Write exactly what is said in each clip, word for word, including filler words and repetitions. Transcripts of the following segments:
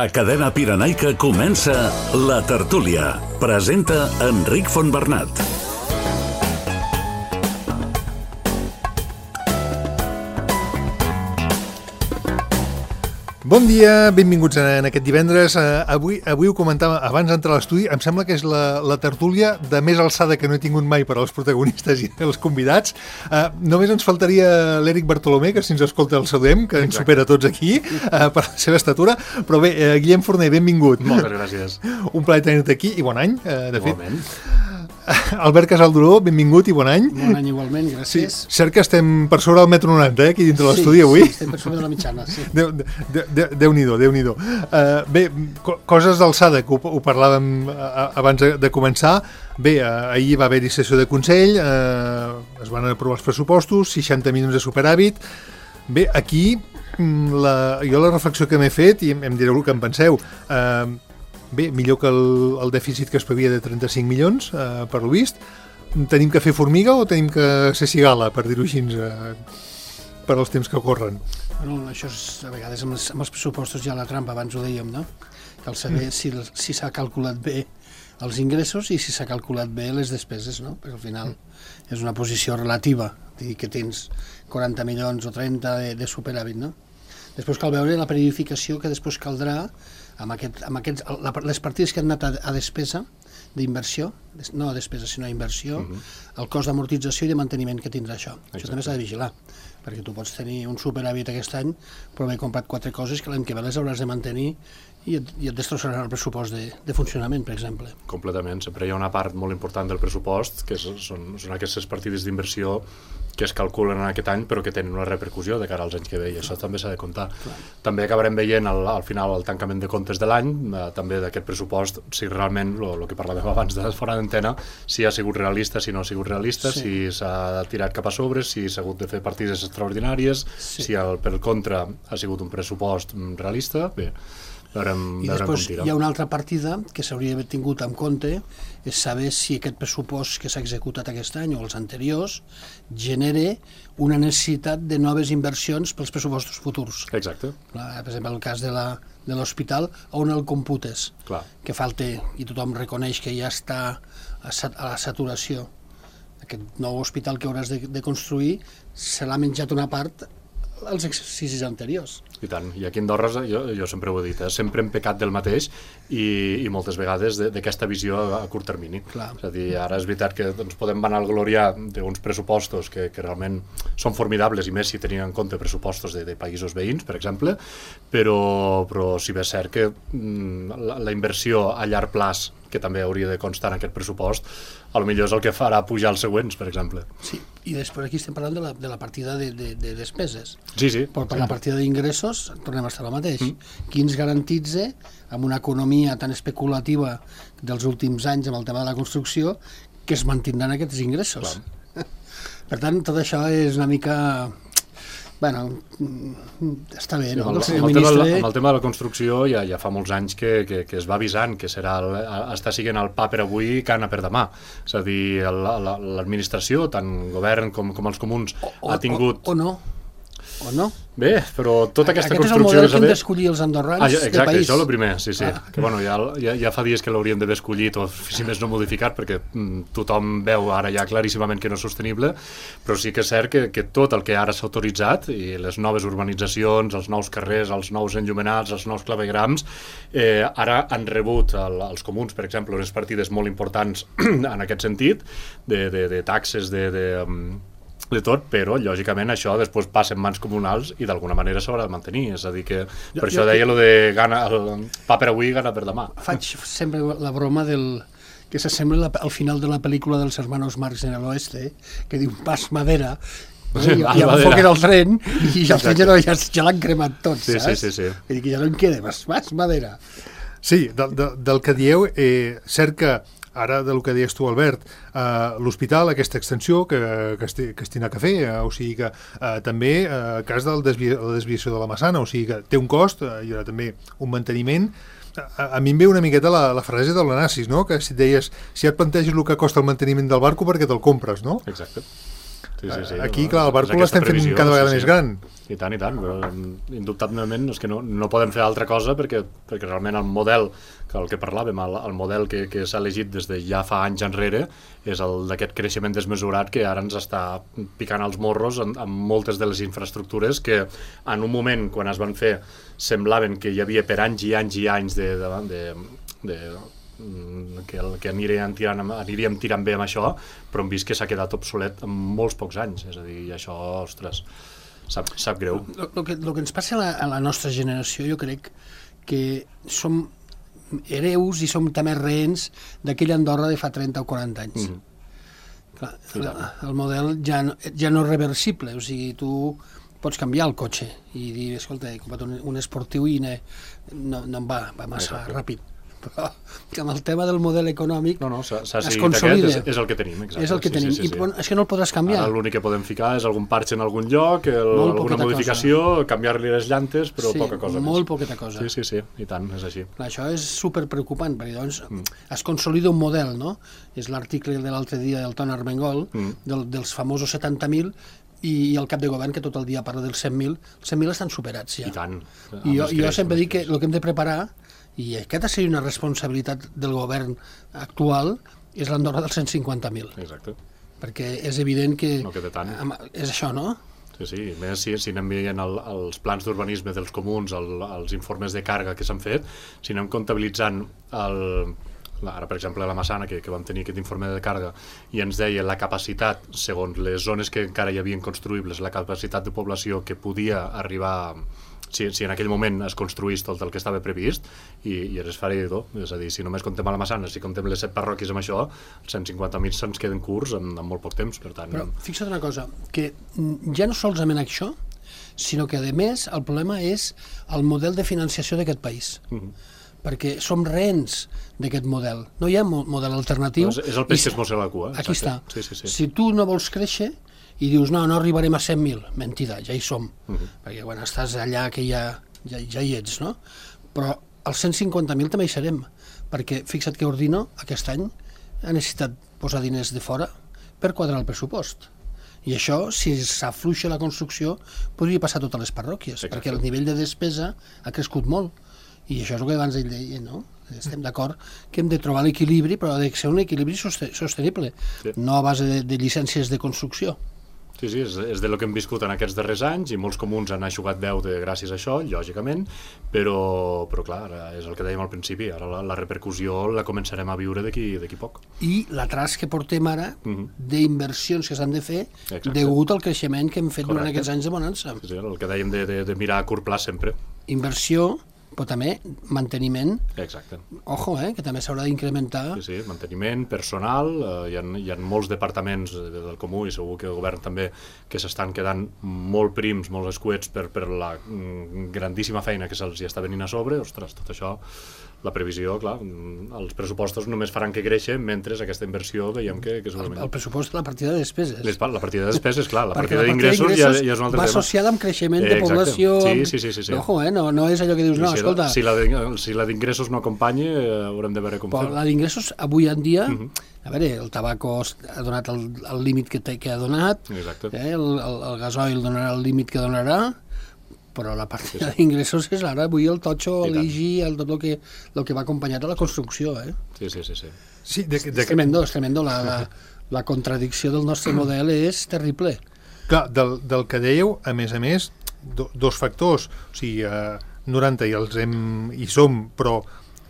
A Cadena Pirenaica comença La Tertúlia. Presenta Enric Fontbernat. Bon dia, benvinguts en aquest divendres. Uh, avui, avui ho comentava abans d'entrar a l'estudi, em sembla que és la, la tertúlia de més alçada que no he tingut mai per als protagonistes i els convidats. Uh, només ens faltaria l'Eric Bartolomé, que si ens escolta el saludem, que ens supera tots aquí uh, per la seva estatura. Però bé, uh, Guillem Forner, benvingut. Moltes gràcies. Un plaer tenir-te aquí i bon any, uh, de Igualment. fet. Albert Casalduró, benvingut i bon any. Bon any igualment, gràcies. Sí, cert que estem per sobre del metro noranta, eh, aquí dintre de l'estudi avui. Sí, estem per sobre de la mitjana, sí. Déu, de, de, Déu-n'hi-do, Déu-n'hi-do. Uh, bé, co coses d'alçada, que ho, ho parlàvem uh, abans de, de començar. Bé, uh, ahir va haver-hi sessió de Consell, uh, es van aprovar els pressupostos, seixanta milions de superàvit. Bé, aquí, la, jo la reflexió que m'he fet, i em, em direu el que en penseu, uh, bé, millor que el, el dèficit que es previa de trenta-cinc milions, eh, per lo vist. Tenim que fer formiga o tenim que ser cigala, per dir-ho així, eh, per als temps que corren? Bueno, això és, a vegades amb els, amb els pressupostos ja la trampa, abans ho dèiem, no? Cal saber mm. si, si s'ha calculat bé els ingressos i si s'ha calculat bé les despeses, no? Perquè al final mm. és una posició relativa, dir que tens quaranta milions o trenta de, de superàvit, no? Després cal veure la periodificació que després caldrà amb, aquest, amb aquests, la, les partides que han anat a, a despesa d'inversió, no a despesa sinó a inversió, uh -huh. el cost d'amortització i de manteniment que tindrà això. Exacte. Això també s'ha de vigilar, perquè tu pots tenir un superàvit aquest any, però haver comprat quatre coses que l'any que ve les hauràs de mantenir i et, i et destrossarà el pressupost de, de funcionament, per exemple. Completament. Sempre hi ha una part molt important del pressupost, que són, són aquestes partides d'inversió que es calculen en aquest any però que tenen una repercussió de cara als anys que ve i això també s'ha de comptar. Clar. També acabarem veient al, al final el tancament de comptes de l'any, eh, també d'aquest pressupost, si realment, el que parlàvem abans de fora d'antena, si ha sigut realista, si no ha sigut realista, sí. Si s'ha tirat cap a sobre, si s'ha hagut de fer partides extraordinàries, sí. Si el, per contra ha sigut un pressupost realista, bé, veurem, i veurem després hi ha una altra partida que s'hauria d'haver tingut en compte, és saber si aquest pressupost que s'ha executat aquest any o els anteriors genera una necessitat de noves inversions pels pressupostos futurs. Exacte. Per exemple, el cas de la de l'hospital, on el computes, clar, que falta, i tothom reconeix que ja està a, sat a la saturació. Aquest nou hospital que hauràs de, de construir se l'ha menjat una part als exercicis anteriors. I tant, i aquí a Andorra, jo, jo sempre ho he dit, eh? Sempre hem pecat del mateix i, i moltes vegades d'aquesta visió a, a curt termini. Clar. És a dir, ara és veritat que ens podem vanagloriar d'uns pressupostos que, que realment són formidables, i més si tenien en compte pressupostos de, de països veïns, per exemple, però, però si bé és cert que mm, la, la inversió a llarg plaç, que també hauria de constar en aquest pressupost, a lo millor és el que farà pujar els següents, per exemple. Sí, i després aquí estem parlant de la, de la partida de, de, de despeses. Sí, sí. Però per sí. La partida d'ingressos tornem a estar al mateix. Mm. Qui ens garantitza, amb una economia tan especulativa dels últims anys amb el tema de la construcció, que es mantindran aquests ingressos? Clar. Per tant, tot això és una mica... Bueno, està bé, no? Sí, amb, el, amb, el tema, amb el tema de la construcció ja, ja fa molts anys que, que, que es va avisant que serà el, està siguent el pa per avui i cana per demà. És a dir, l'administració, tant govern com, com els comuns, o, o, ha tingut... O, o no, o no. Bé, però tota aquesta Aquest construcció... Aquest és el model que hem d'escollir els andorrans ah, ja, exacte, de país. Això és el primer, sí, sí. Ah. Que, bueno, ja, ja, ja fa dies que l'hauríem d'haver escollit, o si més no modificat, perquè mm, tothom veu ara ja claríssimament que no és sostenible, però sí que és cert que, que tot el que ara s'ha autoritzat, i les noves urbanitzacions, els nous carrers, els nous enllumenats, els nous clavegrams, eh, ara han rebut el, els comuns, per exemple, unes partides molt importants en aquest sentit, de, de, de taxes, de... de de tot, però lògicament això després passa en mans comunals i d'alguna manera s'haurà de mantenir, és a dir que per jo, això jo, deia lo de gana, el pa per avui, gana per demà. Faig sempre la broma del que s'assembla al final de la pel·lícula dels hermanos Marx en el oeste, que diu pas madera, i, i enfoquen el tren i ja, ja, ja, ja l'han cremat tot, sí, saps? Sí, sí, sí. Vull dir que ja no en queda, pas, pas madera. Sí, de, de, del que dieu, eh, cert que ara, del que deies tu, Albert, eh, l'hospital, aquesta extensió que, que, es, que es tindrà que fer, eh, o sigui que eh, també, eh, el cas de la desvia, desviació de la Massana, o sigui que té un cost, eh, hi haurà també un manteniment. A, a mi em ve una miqueta la, la frase de l'Onassis, no? Que si et deies, si et planteges el que costa el manteniment del barco perquè te'l compres, no? Exacte. Sí, sí, sí, Aquí, no, clar, el barco l'estem fent cada vegada sí, més gran. I tant, i tant, però indubtablement és que no, no podem fer altra cosa perquè, perquè realment el model, que el que parlàvem, el, el model que, que s'ha elegit des de ja fa anys enrere és el d'aquest creixement desmesurat que ara ens està picant els morros en, en moltes de les infraestructures que en un moment, quan es van fer, semblaven que hi havia per anys i anys i anys de, de, de, de que, el, que aniríem, tirant, aniríem tirant bé amb això, però hem vist que s'ha quedat obsolet en molts pocs anys, és a dir, i això, ostres, sap, sap greu. El que, lo que ens passa a la, a la nostra generació, jo crec que som hereus i som també rehens d'aquella Andorra de fa trenta o quaranta anys. Mm-hmm. Clar, el, el model ja no, ja no és reversible, o sigui, tu pots canviar el cotxe i dir, escolta, he comprat un, un esportiu i ne, no, no em va, va massa Exacte. Ràpid. Però amb el tema del model econòmic no, no, es consolida. És, és el que tenim, exacte. És el que sí, tenim, sí, sí, i sí. Bon, és que no el podràs canviar. Ara l'únic que podem ficar és algun parche en algun lloc, el, alguna modificació, canviar-li les llantes, però sí, poca cosa molt més. poqueta cosa. Sí, sí, sí, i tant, és així. Clar, això és superpreocupant, perquè doncs mm. es consolida un model, no? És l'article de l'altre dia del Ton Armengol, mm. del, dels famosos setanta mil, i el cap de govern que tot el dia parla dels cent mil, els cent mil estan superats ja. I tant. I jo, jo sempre dic que el que hem de preparar, i aquesta seria una responsabilitat del govern actual, és l'Andorra dels cent cinquanta mil. Exacte. Perquè és evident que... No queda tant. És això, no? Sí, sí, més si, si anem veient el, els plans d'urbanisme dels comuns, el, els informes de càrrega que s'han fet, si anem comptabilitzant el... Ara, per exemple, a la Massana, que, que vam tenir aquest informe de càrrega, i ens deia la capacitat, segons les zones que encara hi havien construïbles, la capacitat de població que podia arribar, si, si en aquell moment es construís tot el que estava previst, i, i és esfereïdor. És a dir, si només comptem a la Massana, si comptem les set parròquies amb això, els cent cinquanta mil se'ns queden curts en, en molt poc temps, per tant... Però fixa't una cosa, que ja no solament això, sinó que, a més, el problema és el model de financiació d'aquest país. Mm-hmm. Perquè som rehens d'aquest model. No hi ha model alternatiu. És, és el peix que es mossa la cua. Aquí està. Sí, sí, sí. Si tu no vols créixer i dius, no, no arribarem a cent mil, mentida, ja hi som. Uh-huh. Perquè quan estàs allà que ja, ja, ja hi ets, no? Però als cent cinquanta mil també hi serem. Perquè fixa't que Ordino aquest any ha necessitat posar diners de fora per quadrar el pressupost. I això, si s'afluixa la construcció, podria passar a totes les parròquies, Exacte. Perquè el nivell de despesa ha crescut molt. I això és el que abans ell deia, no? Estem d'acord que hem de trobar l'equilibri, però ha de ser un equilibri sostenible, sí. No a base de, de llicències de construcció. Sí, sí, és, és de lo que hem viscut en aquests darrers anys, i molts comuns han aixugat veu de gràcies a això, lògicament, però, però clar, és el que dèiem al principi, ara la, la repercussió la començarem a viure d'aquí d'aquí poc. I l'atras que portem ara, uh-huh. d'inversions que s'han de fer, Exacte. Degut al creixement que hem fet Correcte. Durant aquests anys de bonança. Sí, sí, el que dèiem de, de, de mirar a curt plaç sempre. Inversió, però també manteniment. Exacte. Ojo, eh, que també s'haurà d'incrementar. Sí, sí, manteniment, personal, eh, hi, ha, hi ha molts departaments del comú i segur que el govern també que s'estan quedant molt prims, molt escuets per, per la grandíssima feina que se'ls hi està venint a sobre. Ostres, tot això, la previsió, clar, els pressupostos només faran que créixer mentre aquesta inversió veiem que, que segurament... El, el pressupost de la partida de despeses. Les, la partida de despeses, clar, la partida d'ingressos ja, ja és un altre va tema. Va associada amb creixement de Exacte. Població... Sí, sí, sí. sí, sí. Ojo, eh, no, no és allò que dius, no, si escolta... La, si la de, si la d'ingressos no acompanya, eh, haurem de veure com fer. La d'ingressos, avui en dia, uh-huh. a veure, el tabaco ha donat el, el límit que, que ha donat, eh, el, el, el gasoil donarà el límit que donarà, però la partida sí, sí. d'ingressos és ara, avui el totxo, l'I G I, el, tot el que, el que va acompanyat a la construcció. Eh? Sí, sí, sí. sí. sí de, de... És tremendo, és tremendo. La, la, la contradicció del nostre model és terrible. Clar, del, del que dèieu, a més a més, do, dos factors, o sigui, eh, noranta i els hem, hi som, però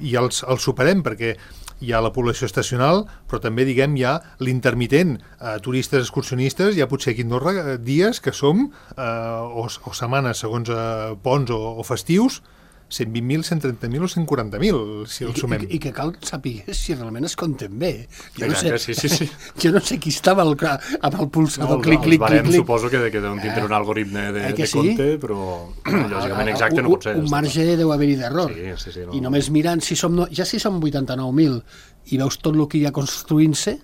i els, els superem, perquè hi ha la població estacional, però també, diguem, hi ha l'intermitent, eh, turistes excursionistes, hi ha potser aquí a Andorra dies que som, eh, o, o setmanes segons eh, ponts o, o festius, cent vint mil, cent trenta mil o cent quaranta mil, si el sumem. I, i, I que cal saber si realment es compten bé. Jo no Exacte, sé, sí, sí, sí. Jo no sé qui estava el, amb el pulsador, no, clic, clic, barem, clic, clic. Suposo que, que deuen tindre un algoritme de, eh de sí? compte, però lògicament exacte no pot ser. Un marge deu haver-hi d'error. Sí, sí, sí, no. I només mirant, si som, ja si som vuitanta-nou mil i veus tot el que hi ha construint-se,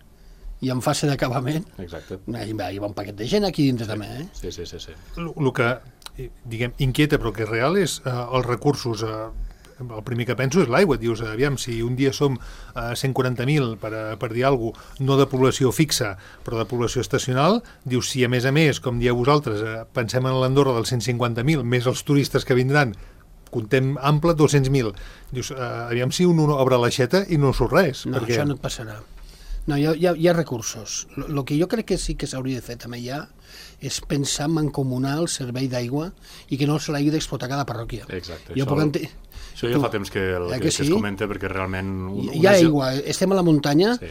i en fase d'acabament, hi va un paquet de gent aquí dintre sí. també. Eh? Sí, sí, sí. sí. El que, diguem, inquieta, però que és real, és eh, els recursos... Eh, el primer que penso és l'aigua. Et dius, aviam, si un dia som a cent quaranta mil, per, per dir alguna cosa, no de població fixa, però de població estacional, dius, si a més a més, com dieu vosaltres, eh, pensem en l'Andorra dels cent cinquanta mil, més els turistes que vindran, contem ample dos-cents mil. Dius, eh, aviam si un obre l'aixeta i no surt res. No, perquè... això no et passarà. No, hi ha, hi ha, hi ha recursos. El que jo crec que sí que s'hauria de fer també ja és pensar en mancomunar el servei d'aigua i que no se l'hagi d'explotar cada parròquia. Exacte. Jo això, puc ente... això ja tu... fa temps que, el, eh que, que sí? que es comenta, perquè realment... Un, hi ha aigua, estem a la muntanya, sí.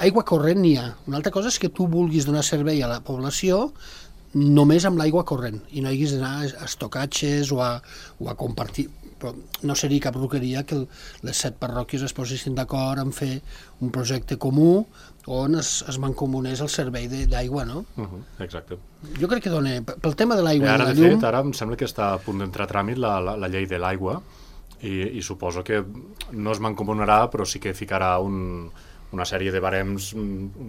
Aigua corrent n'hi ha. Una altra cosa és que tu vulguis donar servei a la població només amb l'aigua corrent i no haguis d'anar a estocatges o a, o a compartir. Però no seria cap roqueria que les set parròquies es posessin d'acord en fer un projecte comú on es, es mancomunés el servei d'aigua, no? Uh -huh, exacte. Jo crec que dona... Pel tema de l'aigua i ara, la de llum... fet, ara em sembla que està a punt d'entrar a tràmit la, la, la llei de l'aigua i, i suposo que no es mancomunarà, però sí que ficarà un... una sèrie de barems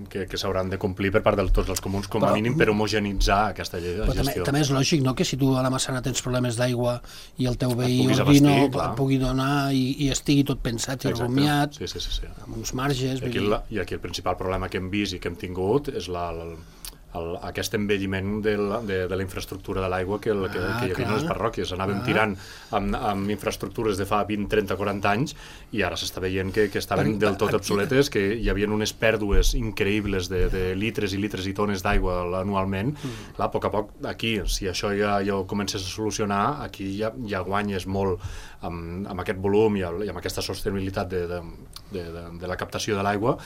que, que s'hauran de complir per part de tots els comuns, com a però, mínim per homogenitzar aquesta però gestió. També, també és lògic, no?, que si tu a la Massana tens problemes d'aigua i el teu veí puguis Ordino abastir, pugui donar i, i estigui tot pensat i Exacte. rumiat, sí, sí, sí, sí. amb uns marges... I aquí, dir... la, I aquí el principal problema que hem vist i que hem tingut és la, el, el, aquest envelliment de la, de, de la infraestructura de l'aigua que, el, que, Ah, que hi havia clar. a les parròquies. Anàvem Ah. tirant amb, amb infraestructures de fa vint, trenta, quaranta anys i ara s'està veient que, que estaven Per- del tot per- obsoletes, que hi havia unes pèrdues increïbles de, de litres i litres i tones d'aigua anualment. Mm. Clar, a poc a poc, aquí, si això ja, ja ho comences a solucionar, aquí ja, ja guanyes molt amb, amb aquest volum i, el, i amb aquesta sostenibilitat de, de, de, de, de la captació de l'aigua,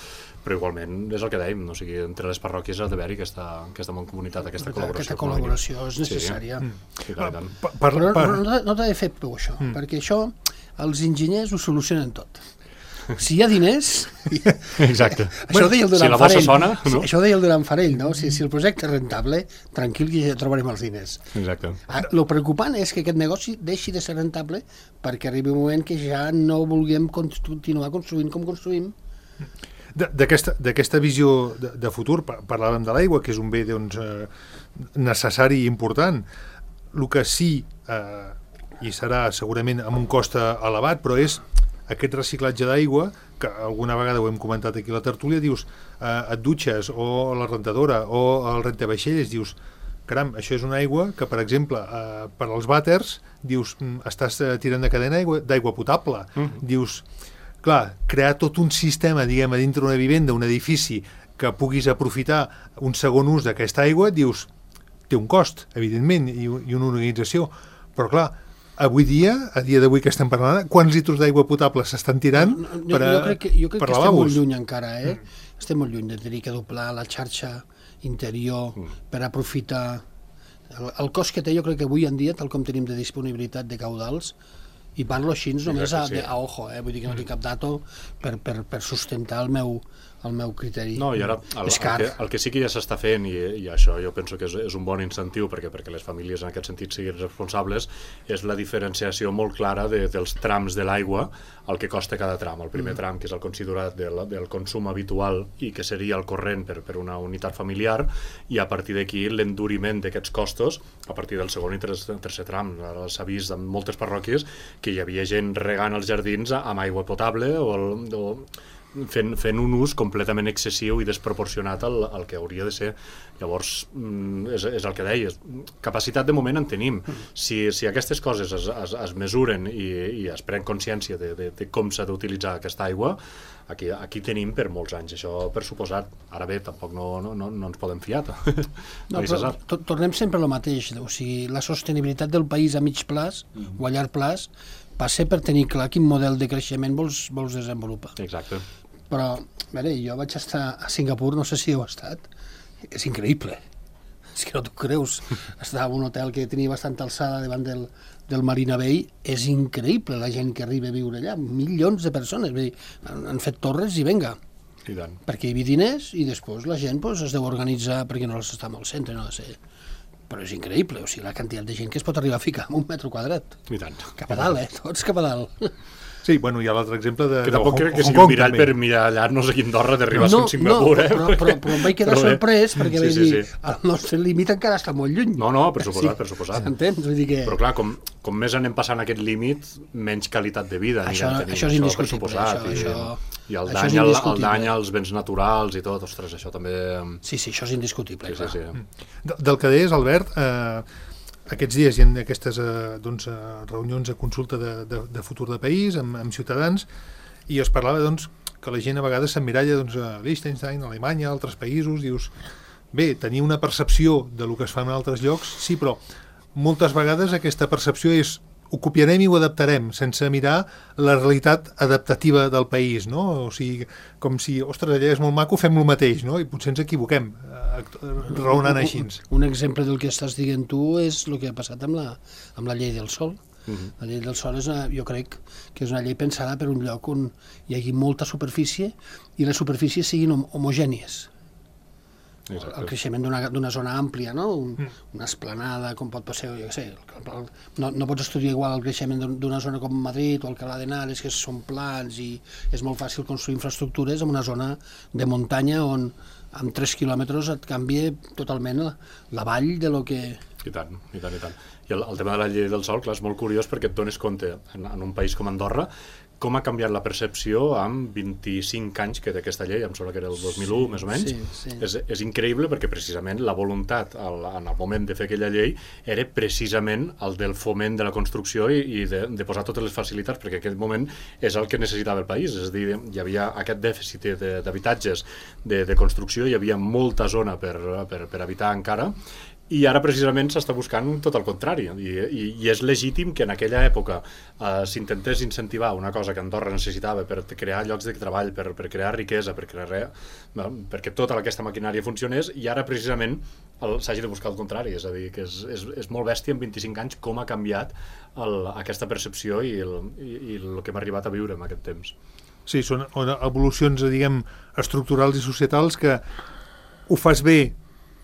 però igualment és el que dèiem, no? O sigui, entre les parròquies ha d'haver-hi aquesta, aquesta mancomunitat, aquesta col·laboració. Aquesta col·laboració és necessària. Sí, sí, clar, i tant. Per, per, Però per... no, no, no t'ha de fer por això, mm. perquè això els enginyers ho solucionen tot. Si hi ha diners... Exacte. Això ho deia el Si Duran la bossa Farell. sona, no? Això ho deia el Duran Farell, no? Si, si el projecte és rentable, tranquil que ja trobarem els diners. Exacte. El preocupant és que aquest negoci deixi de ser rentable perquè arribi un moment que ja no vulguem continuar construint com construïm. D'aquesta visió de, de futur, parlàvem de l'aigua, que és un bé doncs, eh, necessari i important. El que sí, eh, i serà segurament amb un cost elevat, però és aquest reciclatge d'aigua, que alguna vegada ho hem comentat aquí a la tertúlia, dius, eh, et dutxes, o la rentadora, o el rentavaixelles, dius, caram, això és una aigua que, per exemple, eh, per als vàters, dius, estàs tirant de cadena d'aigua potable. Mm. Dius, clar, crear tot un sistema, diguem, a dintre d'una vivenda, un edifici, que puguis aprofitar un segon ús d'aquesta aigua, dius, té un cost, evidentment, i, i una organització, però clar, avui dia, a dia d'avui que estem parlant, quants litros d'aigua potable s'estan tirant no, no, per, a, jo crec que, jo crec per que estem lavabos? molt lluny encara, eh? Mm. Estem molt lluny de tenir que doblar la xarxa interior mm. per aprofitar el, el cost que té. Jo crec que avui en dia, tal com tenim de disponibilitat de caudals, i parlo així només a, sí. a ojo, eh? Vull dir que no tinc cap dato per, per, per sustentar el meu, el meu criteri. No, i ara el, és el, car. que, el que sí que ja s'està fent, i, i això jo penso que és, és un bon incentiu perquè perquè les famílies en aquest sentit siguin responsables, és la diferenciació molt clara de, dels trams de l'aigua, el que costa cada tram. El primer mm. tram, que és el considerat del, del consum habitual i que seria el corrent per, per una unitat familiar, i a partir d'aquí l'enduriment d'aquests costos a partir del segon i tercer, tercer tram. Ara s'ha vist en moltes parròquies que hi havia gent regant els jardins amb aigua potable o, el, o fent, fent un ús completament excessiu i desproporcionat al, al que hauria de ser. Llavors, és, és el que deies, capacitat de moment en tenim. Si, si aquestes coses es, es, es mesuren i, i es pren consciència de, de, de com s'ha d'utilitzar aquesta aigua, aquí, aquí tenim per molts anys, això per suposat. Ara bé, tampoc no, no, no, no ens podem fiar. No, però to, tornem sempre al mateix, o sigui, la sostenibilitat del país a mig plaç mm. o a llarg plaç passa per tenir clar quin model de creixement vols, vols desenvolupar. Exacte. Però, a veure, jo vaig estar a Singapur, no sé si heu estat, és increïble, és que no t'ho creus. Estava en un hotel que tenia bastanta alçada davant del, del Marina Bay, és increïble la gent que arriba a viure allà, milions de persones, vull dir, han, han fet torres i venga. I tant. Perquè hi havia diners i després la gent pues, es deu organitzar perquè no està al centre, no ha de ser. Però és increïble, o sigui, la quantitat de gent que es pot arribar a ficar en un metre quadrat. I tant. Cap a dalt, eh? Tots cap a dalt. Sí, bueno, hi ha l'altre exemple de, que de tampoc Hong, crec que Hong sigui Kong, un mirall també. per mirallar-nos aquí a Andorra d'arribar no, a Singapur, no, eh? però, però, però em vaig quedar Però bé. sorprès perquè Sí, vaig sí, dir, sí. el nostre límit encara està molt lluny. No, no, per suposat, per suposat. S'entén? Vull dir que... Però clar, com, com més anem passant aquest límit, menys qualitat de vida Això- anirem tenint. això és per indiscutible, suposat, això- i, això- i el això és dany, al- el indiscutible. dany als béns naturals i tot, ostres, això també... Sí, sí, això és indiscutible. Sí, sí, clar. sí. De- Del que deies, Albert, eh, aquests dies hi ha aquestes eh, doncs, eh, reunions de consulta de, de, de futur de país amb, amb ciutadans, i es parlava doncs, que la gent a vegades s'emmiralla doncs, a Liechtenstein, a Alemanya, a altres països, dius, bé, tenir una percepció de lo que es fa en altres llocs, sí, però moltes vegades aquesta percepció és ho copiarem i ho adaptarem, sense mirar la realitat adaptativa del país, no? O sigui, com si, ostres, allà és molt maco, fem el mateix, no? I potser ens equivoquem, eh, raonant així. Un, un exemple del que estàs dient tu és el que ha passat amb la, amb la llei del sol. Mhm. La llei del sol és una, jo crec que és una llei pensada per un lloc on hi hagi molta superfície i les superfícies siguin hom homogènies. Exacte. El creixement d'una d'una zona àmplia, no? Un, una esplanada, com pot ser, jo què sé, el, el, no, no pots estudiar igual el creixement d'un- d'una zona com Madrid o Alcalá de Henares, que són plans i és molt fàcil construir infraestructures en una zona de muntanya on amb tres quilòmetres et canvia totalment la, la vall de lo que... I tant, i tant, i tant. I el, el tema de la llei del sol, clar, és molt curiós perquè et dones compte, en, en un país com Andorra, com ha canviat la percepció amb vint-i-cinc anys que té aquesta llei, em sembla que era el dos mil u, més o menys. Sí, sí. És, és increïble perquè precisament la voluntat al, en el moment de fer aquella llei era precisament el del foment de la construcció i, i de, de posar totes les facilitats, perquè en aquell moment és el que necessitava el país, és a dir, hi havia aquest dèficit de- d'habitatges de, de construcció, hi havia molta zona per, per, per habitar encara, i ara precisament s'està buscant tot el contrari, i, i, i és legítim que en aquella època eh, s'intentés incentivar una cosa que Andorra necessitava per crear llocs de treball, per, per crear riquesa, per crear res, no? Perquè tota aquesta maquinària funcionés, i ara precisament el- s'hagi de buscar el contrari, és a dir, que és, és, és molt bèstia en vint-i-cinc anys com ha canviat el, aquesta percepció i el, i, i el que hem arribat a viure en aquest temps. Sí, són evolucions, diguem, estructurals i societals que ho fas bé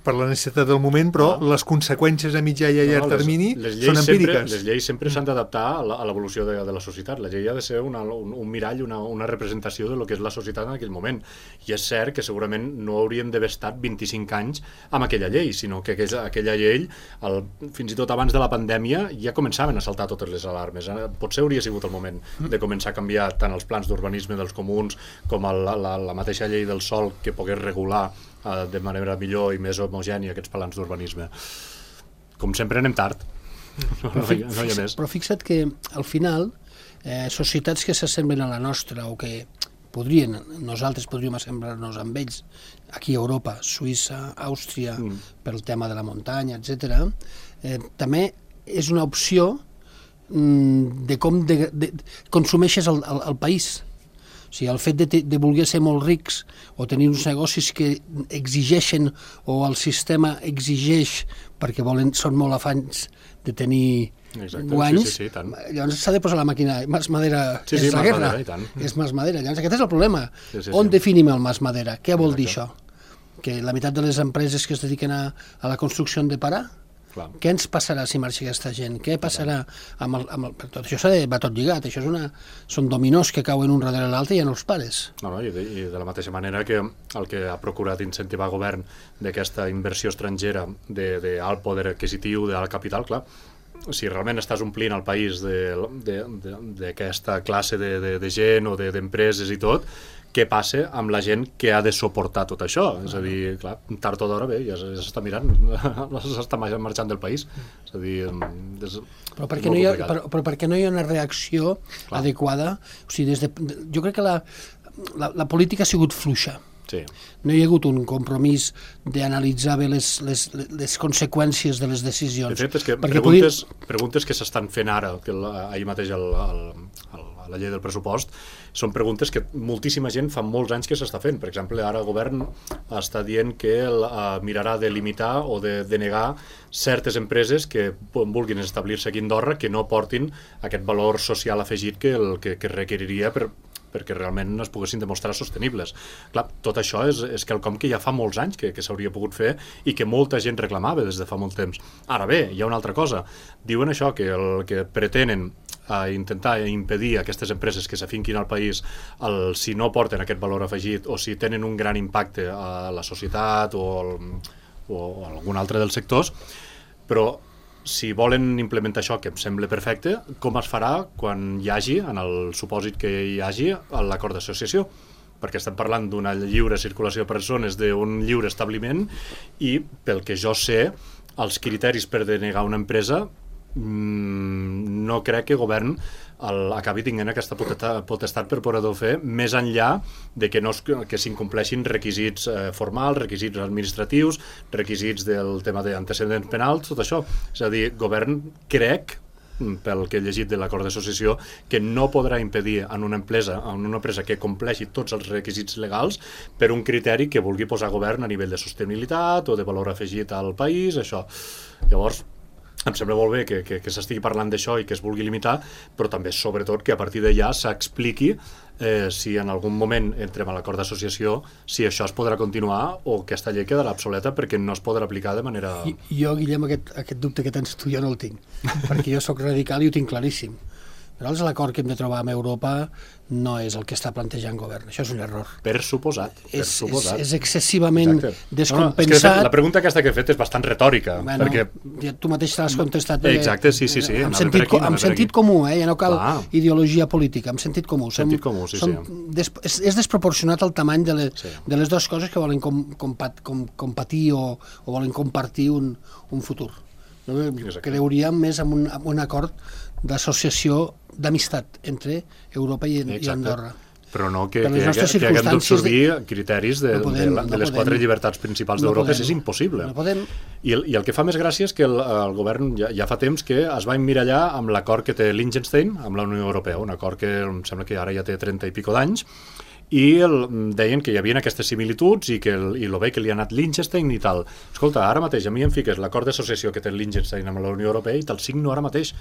per la necessitat del moment, però Ah. les conseqüències a mitjà i a llarg les- termini les lleis són sempre, empíriques. les lleis sempre s'han d'adaptar a la- a l'evolució de, de la societat. La llei ha de ser una, un, un mirall, una, una representació de lo que és la societat en aquell moment. I és cert que segurament no hauríem d'haver estat vint-i-cinc anys amb aquella llei, sinó que aquella, aquella llei, el, fins i tot abans de la pandèmia, ja començaven a saltar totes les alarmes. Eh? Potser hauria sigut el moment de començar a canviar tant els plans d'urbanisme dels comuns com el, la, la mateixa llei del sòl que pogués regular eh, de manera millor i més homogènia aquests plans d'urbanisme. Com sempre anem tard. No, no, hi, no hi ha més. Però fixa't que al final eh, societats que s'assemblen a la nostra o que podrien, nosaltres podríem assemblar-nos amb ells aquí a Europa, Suïssa, Àustria, Mm. pel tema de la muntanya, etcètera, eh, també és una opció mm, de com de, de, consumeixes el, el, el país. O sigui, el fet de, te- de voler ser molt rics o tenir uns negocis que exigeixen o el sistema exigeix perquè volen, són molt afans de tenir Exacte, guanys, sí, sí, sí, tant. llavors s'ha de posar la màquina, mas madera Sí, és sí, la mas guerra, madera, i tant. és mas madera. Llavors aquest és el problema. Sí, sí, On sí. definim el mas madera? Què vol dir Exacte. això? Que la meitat de les empreses que es dediquen a, a la construcció han de parar? Clar. Què ens passarà si marxa aquesta gent? Què passarà amb el... Amb el per tot això s'ha de, va tot lligat, això és una, són dominós que cauen un darrere l'altre i ja no els pares. No, no, i, de, I de la mateixa manera que el que ha procurat incentivar el govern d'aquesta inversió estrangera d'alt poder adquisitiu, d'alt capital, clar, si realment estàs omplint el país d'aquesta classe de, de, de gent o d'empreses de, i tot, què passa amb la gent que ha de suportar tot això? És a dir, clar, tard o d'hora, bé, ja s'està mirant, s'està marxant del país. És a dir, és, Però és perquè, molt no hi ha, complicat. però, però perquè no hi ha una reacció Clar. adequada. O sigui, des de, jo crec que la, la, la política ha sigut fluixa. Sí. No hi ha hagut un compromís d'analitzar bé les, les, les conseqüències de les decisions. De fet, és que Perquè preguntes, preguntes que s'estan fent ara, que la, ahir mateix el, el, el, a la llei del pressupost, són preguntes que moltíssima gent fa molts anys que s'està fent. Per exemple, ara el govern està dient que el, uh, mirarà de limitar o de denegar certes empreses que vulguin establir-se aquí a Andorra que no portin aquest valor social afegit que, el, que, que requeriria per, perquè realment es poguessin demostrar sostenibles. Clar, tot això és, és quelcom que ja fa molts anys que, que s'hauria pogut fer i que molta gent reclamava des de fa molt temps. Ara bé, hi ha una altra cosa. Diuen això, que el que pretenen a intentar impedir a aquestes empreses que s'afinquin al país el, si no porten aquest valor afegit o si tenen un gran impacte a la societat o, el, o algun altre dels sectors, però si volen implementar això, que em sembla perfecte, com es farà quan hi hagi, en el supòsit que hi hagi, l'acord d'associació? Perquè estem parlant d'una lliure circulació de persones, d'un lliure establiment, i pel que jo sé, els criteris per denegar una empresa mmm, no crec que el govern el, acabi tinguent aquesta potestat per poder-ho fer, més enllà de que, no es, que s'incompleixin requisits eh, formals, requisits administratius, requisits del tema d'antecedents penals, tot això. És a dir, govern crec, pel que he llegit de l'acord d'associació, que no podrà impedir en una empresa, en una empresa que compleixi tots els requisits legals per un criteri que vulgui posar govern a nivell de sostenibilitat o de valor afegit al país, això. Llavors, em sembla molt bé que, que, que s'estigui parlant d'això i que es vulgui limitar, però també, sobretot, que a partir d'allà s'expliqui eh, si en algun moment entrem a l'acord d'associació, si això es podrà continuar o aquesta llei quedarà obsoleta perquè no es podrà aplicar de manera... I, jo, Guillem, aquest, aquest dubte que tens tu, jo no el tinc, perquè jo sóc radical i ho tinc claríssim. Però l'acord que hem de trobar amb Europa no és el que està plantejant govern. Això és un error. Per suposat. Per és, suposat. És, és excessivament Exacte. descompensat. No, no, és que la pregunta aquesta que he fet és bastant retòrica. Bueno, perquè... ja tu mateix t'has contestat. Exacte, sí, sí, sí. Amb sentit, aquí, amb sentit comú, eh? Ja no cal Clar. ideologia política, amb sentit comú. Sentit som, comú, sí, som sí. Des, és, és desproporcionat el tamany de, le, sí. de les dues coses que volen com, compat, com, compatir o, o volen compartir un, un futur. No? Creuríem més en un, en un acord d'associació d'amistat entre Europa i, i Andorra. Però no que, que, que, que haguem d'absorbir de... criteris de, no podem, de, la, de les no quatre llibertats principals no d'Europa, és impossible. No podem. I, el, I el que fa més gràcia és que el, el govern ja, ja fa temps que es va emmirallar amb l'acord que té Liechtenstein amb la Unió Europea, un acord que em sembla que ara ja té trenta i pico d'anys, i el, deien que hi havia aquestes similituds i que el, i el bé que li ha anat Liechtenstein i tal. Escolta, ara mateix a mi em fiques l'acord d'associació que té Liechtenstein amb la Unió Europea i te'l signo ara mateix,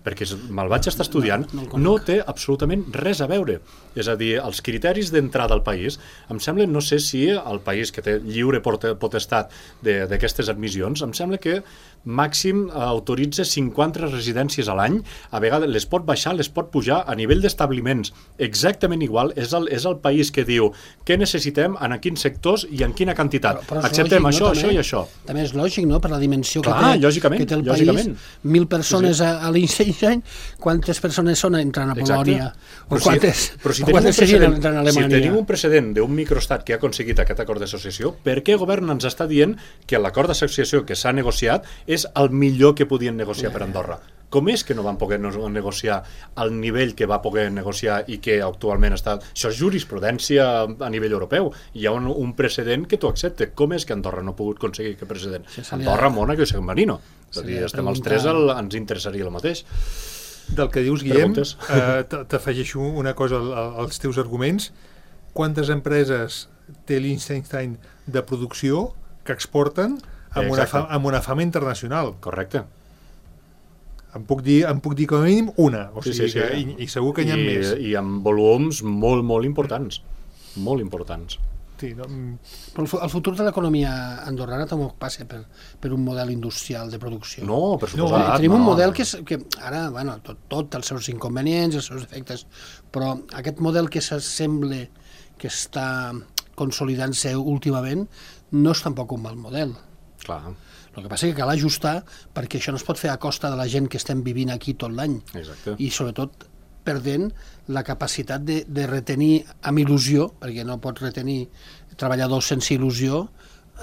perquè me'l vaig estar estudiant, no, no, no té absolutament res a veure. És a dir, els criteris d'entrada al país, em sembla, no sé si el país que té lliure potestat d'aquestes admissions, em sembla que màxim autoritza cinquanta residències a l'any, a vegades les pot baixar, les pot pujar a nivell d'establiments exactament igual, és el, és el país que diu què necessitem, en quins sectors i en quina quantitat. Però, però acceptem lògic, això, no? això també, i això. També és lògic, no?, per la dimensió Clar, que, té, lògicament, que té el lògicament. país. Mil persones sí, sí. a, a Liechtenstein, quantes persones són entrant a Polònia? O quantes, si, però si o quantes serien entrant a Alemanya? Si tenim un precedent d'un microestat que ha aconseguit aquest acord d'associació, per què el govern ens està dient que l'acord d'associació que s'ha negociat és el millor que podien negociar per Andorra? Com és que no van poder negociar al nivell que va poder negociar i que actualment està... Això és jurisprudència a nivell europeu. Hi ha un, un precedent que tu acceptes. Com és que Andorra no ha pogut aconseguir aquest precedent? Sí, Andorra, Mónaco i San Marino. És a dir, estem els tres, el, ens interessaria el mateix. Del que dius, Guillem, eh, t'afegeixo una cosa als teus arguments. Quantes empreses té Liechtenstein de producció que exporten amb una, fama, amb una fama internacional? Correcte. Em puc dir, em puc dir com a mínim una, o sigui sí, sí, sí. Que, i, i segur que n'hi ha I, més. I amb volums molt, molt importants. Molt importants. Sí, no? Però el futur de l'economia andorrana també passa per, per un model industrial de producció. No, per suposat. No, tenim no. un model que, és, que ara, bueno, tot, tot els seus inconvenients, els seus defectes, però aquest model que s'assembla, que està consolidant-se últimament, no és tampoc un mal model. Clar. El que passa és que cal ajustar perquè això no es pot fer a costa de la gent que estem vivint aquí tot l'any. Exacte. I sobretot perdent la capacitat de, de retenir amb il·lusió, perquè no pots retenir treballadors sense il·lusió,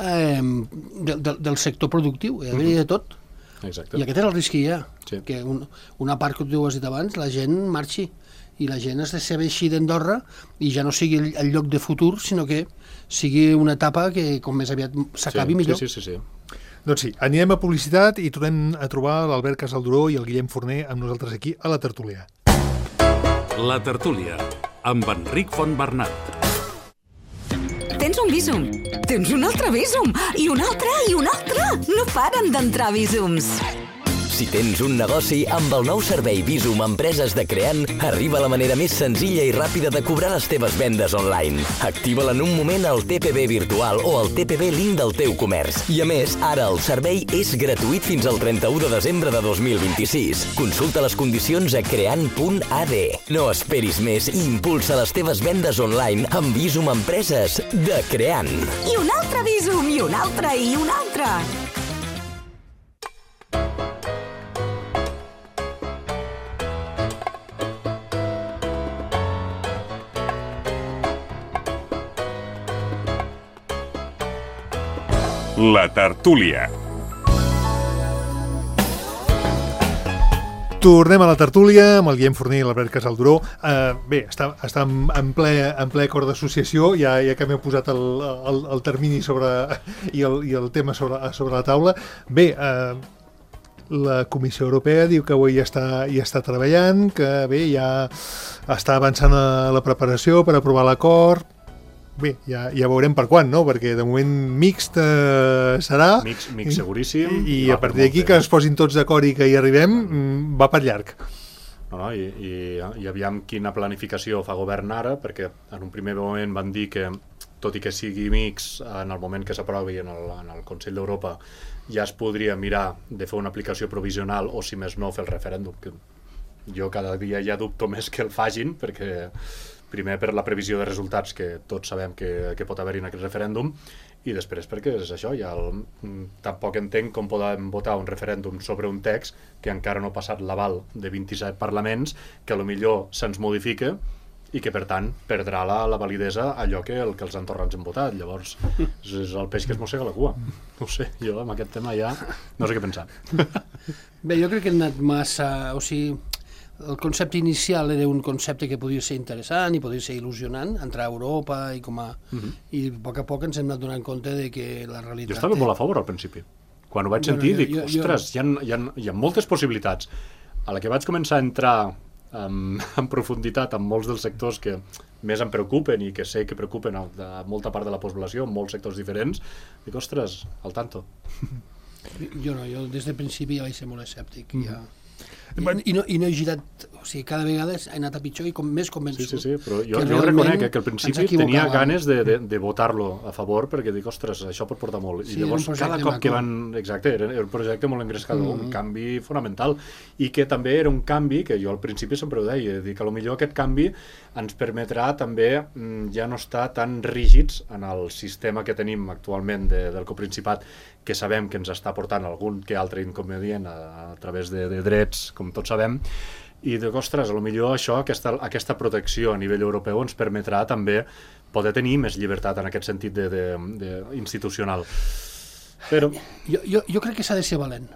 eh, del, del, del sector productiu, hi ha d'haver de tot. Exacte. I aquest és el risc que hi ha, sí. que un, una part que tu has dit abans, la gent marxi, i la gent es decebeixi d'Andorra i ja no sigui el, el lloc de futur, sinó que sigui una etapa que com més aviat s'acabi sí, millor. Sí, sí, sí, sí. Doncs sí, anirem a publicitat i tornem a trobar l'Albert Casalduró i el Guillem Forner amb nosaltres aquí a la tertúlia. La tertúlia, amb Enric Fontbernat. Tens un Bizum, tens un altre Bizum, i un altre, i un altre. No paren d'entrar Bizums. Si Si tens un negoci, amb el nou servei Visum Empreses de Creant, arriba la manera més senzilla i ràpida de cobrar les teves vendes online. Activa-la en un moment al T P B virtual o al T P B link del teu comerç. I a més, ara el servei és gratuït fins al trenta-u de desembre de dos mil vint-i-sis. Consulta les condicions a creant punt a d. No esperis més i impulsa les teves vendes online amb Visum Empreses de Creant. I un altre Visum, i un altre, i un altre. La tertúlia. Tornem a la tertúlia amb el Guillem Forner i l'Albert Casalduró. Uh, bé, està, està en, en, ple, en ple acord d'associació, ja, ja que m'heu posat el, el, el termini sobre, i, el, i el tema sobre, sobre la taula. Bé, uh, la Comissió Europea diu que avui ja està, ja està treballant, que bé, ja està avançant a la preparació per aprovar l'acord. Bé, ja, ja veurem per quan, no? Perquè de moment mixt eh, serà. Mix, mix seguríssim. I, i a partir d'aquí que es posin tots d'acord i que hi arribem, va per llarg. No, no, i, i, i aviam quina planificació fa govern ara, perquè en un primer moment van dir que, tot i que sigui mix, en el moment que s'aprovi en, el, en el Consell d'Europa, ja es podria mirar de fer una aplicació provisional o, si més no, fer el referèndum. Que jo cada dia ja dubto més que el fagin, perquè primer per la previsió de resultats que tots sabem que, que pot haver-hi en aquest referèndum, i després perquè és això, ja el, tampoc entenc com podem votar un referèndum sobre un text que encara no ha passat l'aval de vint-i-set parlaments, que potser se'ns modifica i que per tant perdrà la, la validesa allò que, el que els entorrans han votat. Llavors és, és el peix que es mossega la cua. No sé, jo amb aquest tema ja no sé què pensar. Bé, jo crec que hem anat massa... O sigui, el concepte inicial era un concepte que podia ser interessant i podia ser il·lusionant, entrar a Europa i com a... Uh-huh. I a poc a poc ens hem anat donant compte de que la realitat... Jo estava molt a favor al principi. Quan ho vaig sentir, bueno, jo, dic, jo, ostres, jo... Hi, ha, hi, ha, hi ha moltes possibilitats. A la que vaig començar a entrar um, en profunditat en molts dels sectors que més em preocupen i que sé que preocupen a, a molta part de la població, en molts sectors diferents, dic, ostres, al tanto. Jo no, jo des del principi ja vaig ser molt escèptic. Mm. Ja... I, i, no, i no he girat, o sigui, cada vegada he anat a pitjor i com més convençut. Sí, sí, sí, però jo, jo reconec que al principi tenia ganes de, de, de votar-lo a favor perquè dic, ostres, això pot portar molt. Sí, I llavors cada cop que van... Exacte, era, era un projecte molt engrescador, mm-hmm. un canvi fonamental, i que també era un canvi que jo al principi sempre ho deia, dic, que potser aquest canvi ens permetrà també ja no estar tan rígids en el sistema que tenim actualment de, del Coprincipat, que sabem que ens està portant algun que altre inconvenient a, a través de, de drets, com tots sabem, i dic, ostres, potser això, aquesta, aquesta protecció a nivell europeu ens permetrà també poder tenir més llibertat en aquest sentit de, de, de institucional. Però... Jo, jo, jo crec que s'ha de ser valent.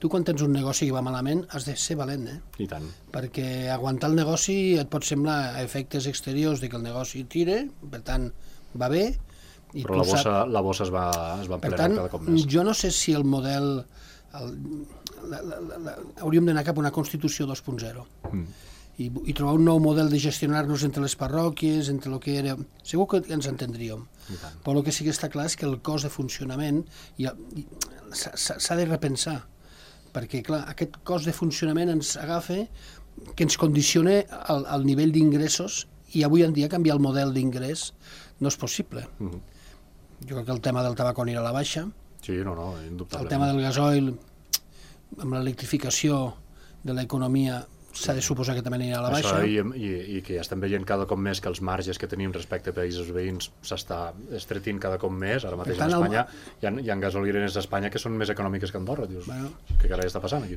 Tu quan tens un negoci que va malament has de ser valent, eh? I tant. Perquè aguantar el negoci et pot semblar a efectes exteriors de que el negoci tire, per tant va bé. I però la bossa, sap... la bossa es va, es va emplenar cada cop més. Jo no sé si el model... El, la, la, la, la, hauríem d'anar cap a una Constitució dos punt zero. Mm. I, i trobar un nou model de gestionar-nos entre les parròquies, entre el que era... Segur que ens entendríem. Però el que sí que està clar és que el cost de funcionament s'ha de repensar. Perquè, clar, aquest cost de funcionament ens agafa que ens condiciona al, al nivell d'ingressos, i avui en dia canviar el model d'ingrés no és possible. Mm-hmm. Jo crec que el tema del tabac anirà a la baixa. Sí, no, no, indubtablement. El tema del gasoil, amb l'electrificació de l'economia, s'ha de suposar que també anirà a la baixa. Això, i, i, i que ja estem veient cada cop més que els marges que tenim respecte a països veïns s'està estretint cada cop més. Ara mateix tant, a Espanya el... hi, ha, hi ha gasolines a Espanya que són més econòmiques que Andorra. Dius, bueno, què carai està passant aquí?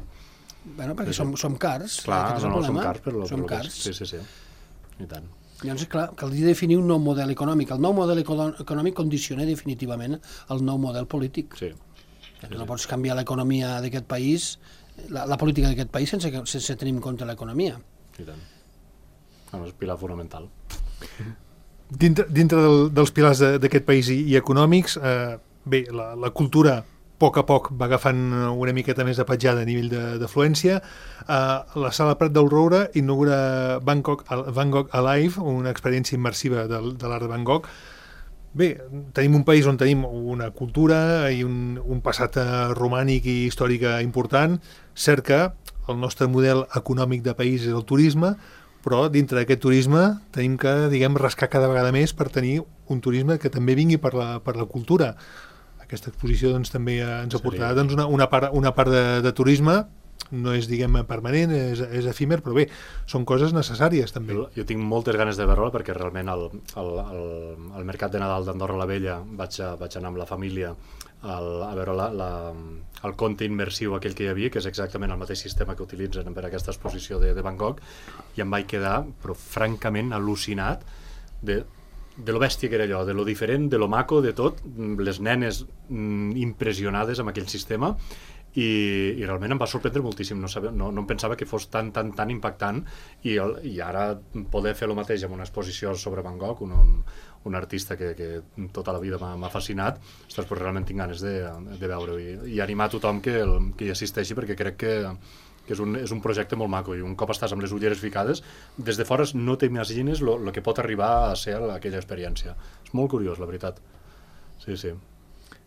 Bueno, perquè sí, som, som cars. Clar, no, no, som cars. Per lo, som per cars. Sí, sí, sí. I tant. Llavors, clar, caldria definir un nou model econòmic. El nou model econòmic condiciona definitivament el nou model polític. Sí. Que no pots canviar l'economia d'aquest país, la, la política d'aquest país sense, sense tenir en compte l'economia. I tant. No, és pilar fonamental. Dintre, dintre del, dels pilars d'aquest país i, i econòmics, eh, bé, la, la cultura a poc a poc va agafant una miqueta més de petjada a nivell d'afluència. Uh, la Sala Prat del Roure inaugura Bangkok, Van Gogh Alive, una experiència immersiva de, de l'art de Van Gogh. Bé, tenim un país on tenim una cultura i un, un passat romànic i històric important. cert que el nostre model econòmic de país és el turisme, però dintre d'aquest turisme tenim que, diguem, rascar cada vegada més per tenir un turisme que també vingui per la, per la cultura. Aquesta exposició doncs, també ens ha portat doncs, una, una part, una part de, de turisme, no és, diguem, permanent, és, és efímer, però bé, són coses necessàries també. Jo, jo tinc moltes ganes de veure-la perquè realment al, al, al, al Mercat de Nadal d'Andorra la Vella vaig, a, vaig anar amb la família al, a veure la, la, el conte immersiu aquell que hi havia, que és exactament el mateix sistema que utilitzen per aquesta exposició de, de Bangkok, i em vaig quedar, però francament al·lucinat de, de lo bèstia que era allò, de lo diferent, de lo maco, de tot, les nenes mm, impressionades amb aquell sistema, i, i realment em va sorprendre moltíssim, no, sabia, no, no em pensava que fos tan, tan, tan impactant, i, el, i ara poder fer el mateix amb una exposició sobre Bangkok, un, un, un artista que, que tota la vida m'ha fascinat, ostres, però realment tinc ganes de, de veure-ho, i, i animar a tothom que, el, que hi assisteixi, perquè crec que, que és, un, és un projecte molt maco, i un cop estàs amb les ulleres ficades, des de fora no t'imagines el que pot arribar a ser aquella experiència. És molt curiós, la veritat. Sí, sí.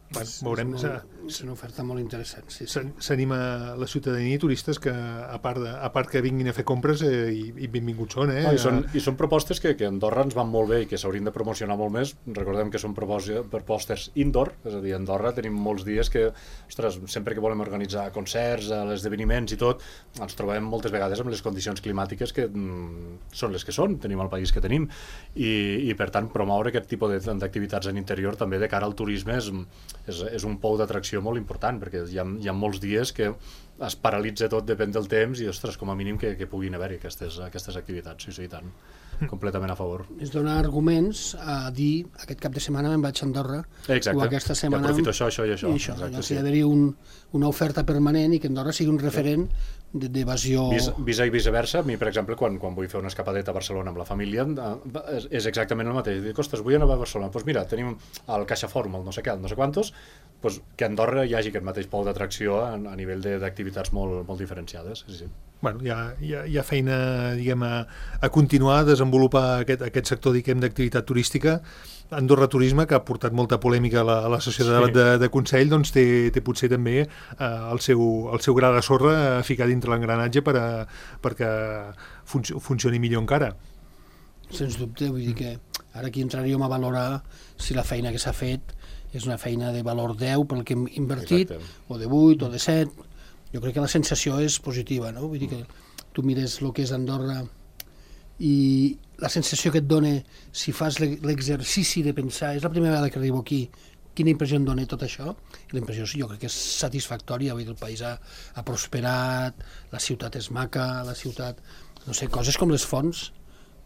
Bueno, veurem. És, molt, és una oferta molt interessant. Sí, sí. S'anima la ciutadania i turistes que, a part, de, a part que vinguin a fer compres, eh, i, i benvinguts són. Eh? No, i, són I són propostes que, que a Andorra ens van molt bé i que s'haurien de promocionar molt més. Recordem que són propostes indoor, és a dir, a Andorra tenim molts dies que, ostres, sempre que volem organitzar concerts, esdeveniments i tot, ens trobem moltes vegades amb les condicions climàtiques que mm, són les que són, tenim el país que tenim, i, i per tant promoure aquest tipus d'activitats en interior també de cara al turisme és És, és un pou d'atracció molt important, perquè hi ha, hi ha molts dies que es paralitza tot, depèn del temps, i ostres, com a mínim que, que puguin haver-hi aquestes, aquestes activitats, sí, sí, i tant, completament a favor. És donar arguments a dir, aquest cap de setmana me'n vaig a Andorra, exacte. O aquesta setmana... I aprofito això, això i això. I això, exacte, sí. Ha d'haver-hi un, una oferta permanent i que Andorra sigui un referent d'evasió... Vis, visa i viceversa, a mi, per exemple, quan, quan vull fer una escapadeta a Barcelona amb la família, és, és exactament el mateix. Dic, ostres, vull anar a Barcelona. Doncs pues mira, tenim el CaixaForum, el no sé què, el no sé quantos, pues que a Andorra hi hagi aquest mateix pou d'atracció a, a nivell d'activitats molt, molt diferenciades. Sí, sí. Bueno, hi ha, hi ha, hi ha feina, diguem, a, a continuar a desenvolupar aquest, aquest sector, diguem, d'activitat turística. Andorra Turisme, que ha portat molta polèmica a la, a la sessió de debat sí. de, de Consell, doncs té, té potser també eh, el, seu, el seu gra de sorra a ficar dintre l'engranatge per a, perquè func funcioni millor encara. Sens dubte, vull dir que ara aquí entraríem a valorar si la feina que s'ha fet és una feina de valor deu pel que hem invertit, exacte. O de vuit, o de set. Jo crec que la sensació és positiva, no? Vull dir que tu mires el que és Andorra i la sensació que et dona si fas l'exercici de pensar, és la primera vegada que arribo aquí, quina impressió em dona tot això? I la impressió jo crec que és satisfactòria, vull dir, el país ha, ha prosperat, la ciutat és maca, la ciutat, no sé, coses com les fonts,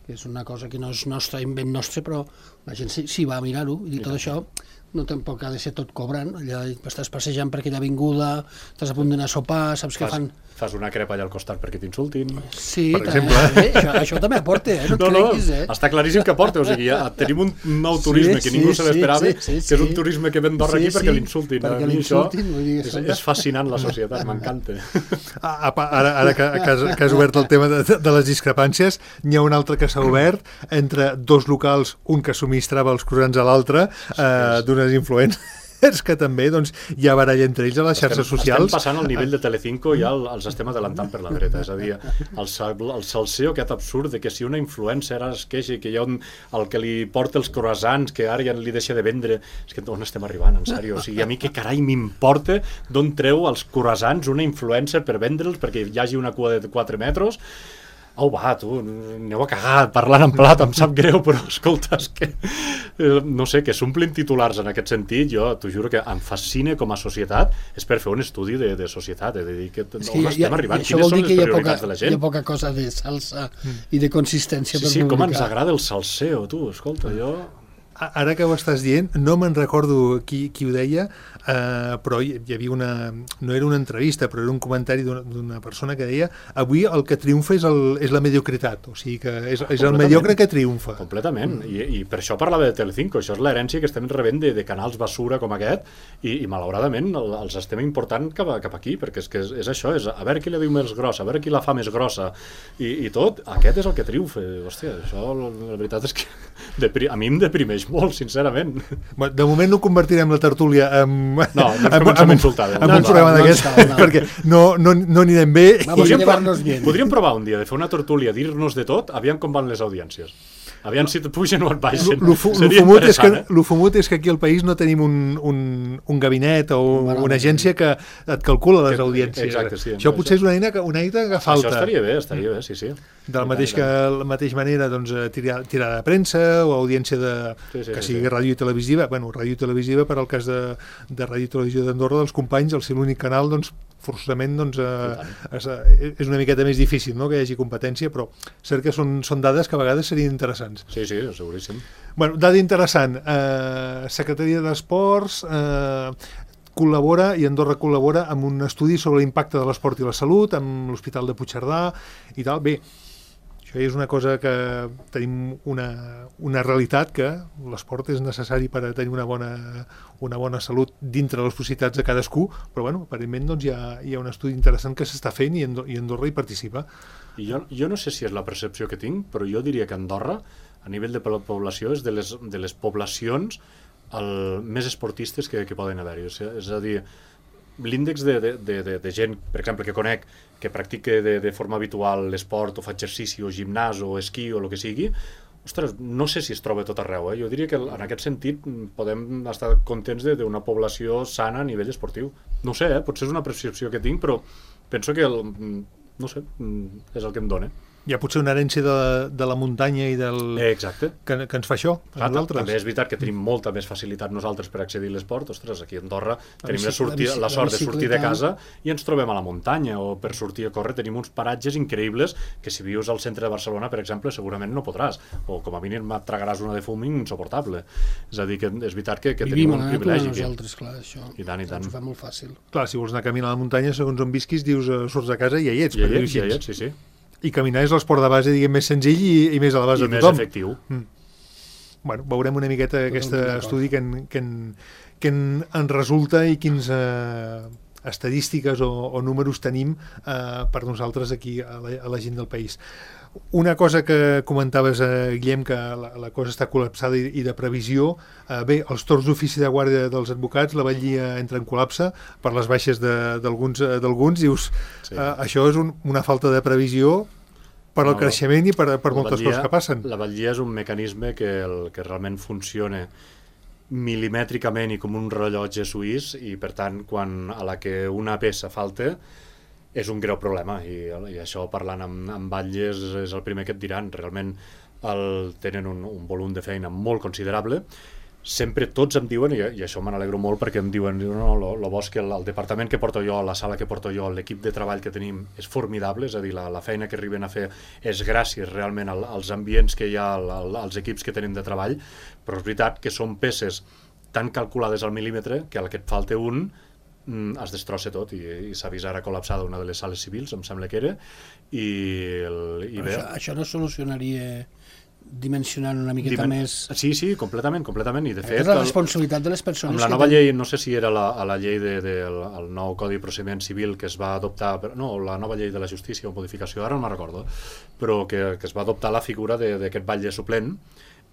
que és una cosa que no és nostra, invent nostre, però la gent s'hi si va a mirar-ho, i tot això no tampoc ha de ser tot cobrant, allà estàs passejant per aquella avinguda, estàs a punt d'anar a sopar, saps què fan... Fas una crepa allà al costat perquè t'insultin. Sí, per exemple. Eh, això, això també aporta, eh? No, no, creguis, no, eh? està claríssim que aporta, o sigui, ja tenim un nou turisme sí, que ningú sí, se l'esperava, sí, sí, sí, que és un turisme que ve a Andorra sí, aquí perquè sí, l'insultin. Perquè l'insultin, vull dir, és, és fascinant la societat, m'encanta. Ara, ara que, que, has, que has obert el tema de, de les discrepàncies, n'hi ha un altre que s'ha obert entre dos locals, un que subministrava els croissants a l'altre, eh, d'unes influències que també doncs, hi ha baralla entre ells a les xarxes estem, socials. Estem passant al nivell de Telecinco i ja el, els estem adelantant per la dreta, és a dir, el, el salseo aquest absurd de que si una influencer es queixa que hi ha un, el que li porta els croissants que ara ja li deixa de vendre, és que on estem arribant, en sèrio? O sigui, a mi què carai m'importa d'on treu els croissants una influencer per vendre'ls perquè hi hagi una cua de quatre metres? Au, va, tu, aneu a cagar, parlant en plat, em sap greu, però escolta, és que, eh, no sé, que s'omplin titulars en aquest sentit, jo t'ho juro que em fascina com a societat, és per fer un estudi de, de societat, de dir que, que on estem arribant, quines són les prioritats poca, de la gent. Hi ha poca cosa de salsa mm. i de consistència sí, per sí, publicar. com ens agrada el salseo, tu, escolta, jo... Ara que ho estàs dient, no me'n recordo qui, qui ho deia, eh, però hi, hi havia una... no era una entrevista, però era un comentari d'una persona que deia avui el que triomfa és, el, és la mediocritat, o sigui que és, és el mediocre que triomfa. Completament, mm. I, i per això parlava de Telecinco, això és l'herència que estem rebent de, de canals basura com aquest, i, i malauradament el, els estem important cap, a, cap aquí, perquè és que és, és això, és a veure qui la diu més grossa, a veure qui la fa més grossa, i, i tot, aquest és el que triomfa. Hòstia, això la veritat és que depri, a mi em deprimeix molt, sincerament. De moment no convertirem la tertúlia en, no, no en, en, en, en, en un programa d'aquests, no, no. perquè no, no, no anirem bé. Vamos a llevarnos bien. Podríem provar un dia de fer una tertúlia, dir-nos de tot, aviam com van les audiències. Aviam si et pugen o et baixen. Lo fumut és, que, eh? fumut és que aquí al país no tenim un, un, un gabinet o bueno, una agència que et calcula les que, audiències. Exacte, sí. Això potser és una eina que, una eina que falta. Això estaria bé, estaria bé, sí, sí. De la mateix que la mateixa manera, doncs, tirada de premsa o audiència de, sí, sí, que sigui sí, sí. ràdio i televisiva. Bueno, ràdio i televisiva, per al cas de, de ràdio i televisió d'Andorra, dels companys, al ser l'únic canal, doncs, forçosament doncs, eh, és, és una miqueta més difícil, no?, que hi hagi competència, però cert que són, són dades que a vegades serien interessants. Sí, sí, seguríssim. Bueno, dada interessant, eh, Secretaria d'Esports eh, col·labora, i Andorra col·labora, amb un estudi sobre l'impacte de l'esport i la salut, amb l'Hospital de Puigcerdà i tal. Bé, això és una cosa que tenim una, una realitat, que l'esport és necessari per a tenir una bona, una bona salut dintre de les possibilitats de cadascú, però bueno, aparentment doncs, hi, ha, hi ha un estudi interessant que s'està fent i Andorra, i Andorra hi participa. I jo, jo no sé si és la percepció que tinc, però jo diria que Andorra, a nivell de població, és de les, de les poblacions el, més esportistes que, que poden haver-hi. O sigui, és a dir, l'índex de, de, de, de gent, per exemple, que conec, que practica de, de forma habitual l'esport o fa exercici o gimnàs o esquí o el que sigui, ostres, no sé si es troba tot arreu. Eh? Jo diria que en aquest sentit podem estar contents d'una població sana a nivell esportiu. No sé, eh? Potser és una percepció que tinc, però penso que, el, no sé, és el que em dona. Hi ha potser una herència de, de la muntanya i del... Exacte. Que, que ens fa això, a nosaltres. També és veritat que tenim molta més facilitat nosaltres per accedir a l'esport. Ostres, aquí a Andorra tenim la, sortir, la, la sort de sortir de casa i ens trobem a la muntanya, o per sortir a córrer tenim uns paratges increïbles que si vius al centre de Barcelona, per exemple, segurament no podràs, o com a mínim et tragaràs una de fum insuportable. És a dir, que és veritat que, que tenim un privilegi aquí. Nosaltres, clar, això. I tant, i tant. Ens ho fa molt fàcil. Clar, si vols anar a caminar a la muntanya, segons on visquis, dius, uh, surts de casa i ja hi ets. Ja hi ets, ja hi ets, sí, sí. I caminar és l'esport de base, diguem, més senzill i, i més a la base I de tothom. I més efectiu. Mm. Bueno, veurem una miqueta aquest estudi que, en, que, en, que en, en resulta i quins eh, estadístiques o, o números tenim eh, per nosaltres aquí a la, a la gent del país. Una cosa que comentaves, eh, Guillem, que la, la cosa està col·lapsada i, i de previsió. Eh, bé, els torns d'ofici de guàrdia dels advocats, la batllia entra en col·lapse per les baixes d'alguns, d'alguns. Dius, sí. eh, això és un, una falta de previsió per al no, creixement i per, per moltes batllia, coses que passen. La batllia és un mecanisme que, el, que realment funciona milimètricament i com un rellotge suís, i per tant, quan a la que una peça falta, és un greu problema, i, i això parlant amb, amb batlles és el primer que et diran. Realment el, tenen un, un volum de feina molt considerable. Sempre tots em diuen, i, i això me n'alegro molt, perquè em diuen, no, lo, lo bo és que el, el departament que porto jo, la sala que porto jo, l'equip de treball que tenim és formidable, és a dir, la, la feina que arriben a fer és gràcies realment al, als ambients que hi ha, al, als equips que tenim de treball, però és veritat que són peces tan calculades al mil·límetre que a la que et falta un es destrossa tot, i, i s'ha vist ara col·lapsada una de les sales civils, em sembla que era, i, el, i bé... Això, això no solucionaria dimensionant una miqueta Dimen... més... Sí, sí, completament, completament, i de fet... És la responsabilitat de les persones... Amb la nova llei, no sé si era la, a la llei de, de, el, el nou Codi de Procediment Civil que es va adoptar, no, la nova llei de la justícia o modificació, ara no me'n recordo, però que, que es va adoptar la figura d'aquest batlle suplent,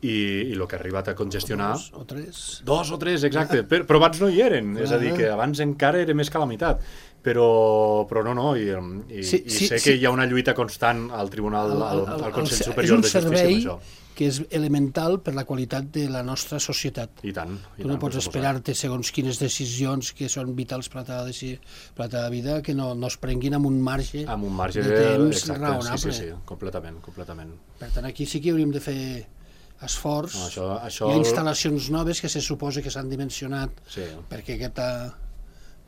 i, i el que ha arribat a congestionar... Dos o tres. Dos o tres, exacte, però, però abans no hi eren, és a dir, que abans encara era més que la meitat, però, però no, no, i, i, sí, i sé sí, que sí. Hi ha una lluita constant al Tribunal, al, al, al Consell el, Superior de Justícia amb això. És un servei que és elemental per la qualitat de la nostra societat. I tant. I tu no tant, pots esperar-te segons quines decisions que són vitals per a la teva vida, que no, no es prenguin amb un marge, amb un marge de temps exacte, raonable. Sí, sí, sí, completament, completament. Per tant, aquí sí que hauríem de fer esforç. No, això, això... Hi ha instal·lacions noves que se suposa que s'han dimensionat sí. perquè, aquesta,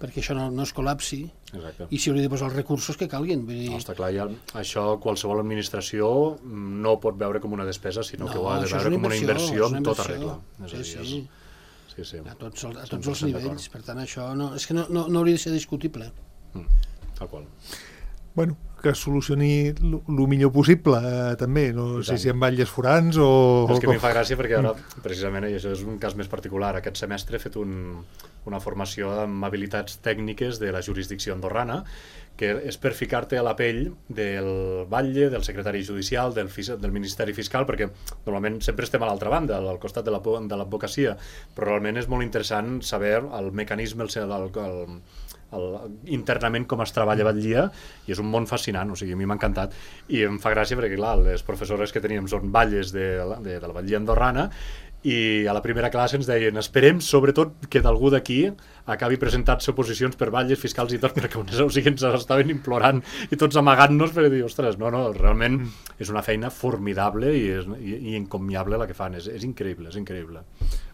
perquè això no, no es col·lapsi. Exacte. I s'hi hauria de posar els recursos que calguin. Vull dir... No, està clar, ja, això qualsevol administració no pot veure com una despesa, sinó no, que ho ha de veure com una inversió amb tota regla. És sí, dir, sí. És... sí, sí. A tots, a tots els nivells. Per tant, això no, és que no, no, no hauria de ser discutible. Mm, tal qual. Bueno, que solucioni el millor possible, eh, també, no sé si amb batlles forans o... És que a mi fa gràcia perquè ara, precisament, i això és un cas més particular, aquest semestre he fet un, una formació amb habilitats tècniques de la jurisdicció andorrana, que és per ficar-te a la pell del batlle, del secretari judicial, del, del Ministeri Fiscal, perquè normalment sempre estem a l'altra banda, al costat de l'advocacia, però realment és molt interessant saber el mecanisme, el, el, el, el, internament com es treballa a batllia, i és un món fascinant, o sigui, a mi m'ha encantat, i em fa gràcia perquè, clar, les professores que teníem són batlles de, de, de la batllia andorrana, i a la primera classe ens deien esperem sobretot que d'algú d'aquí acabi presentant-se oposicions per batlles fiscals i tot, perquè o sigui, ens estaven implorant i tots amagant-nos per dir, ostres, no, no, realment és una feina formidable i, és, i, i encomiable la que fan, és, és increïble, és increïble.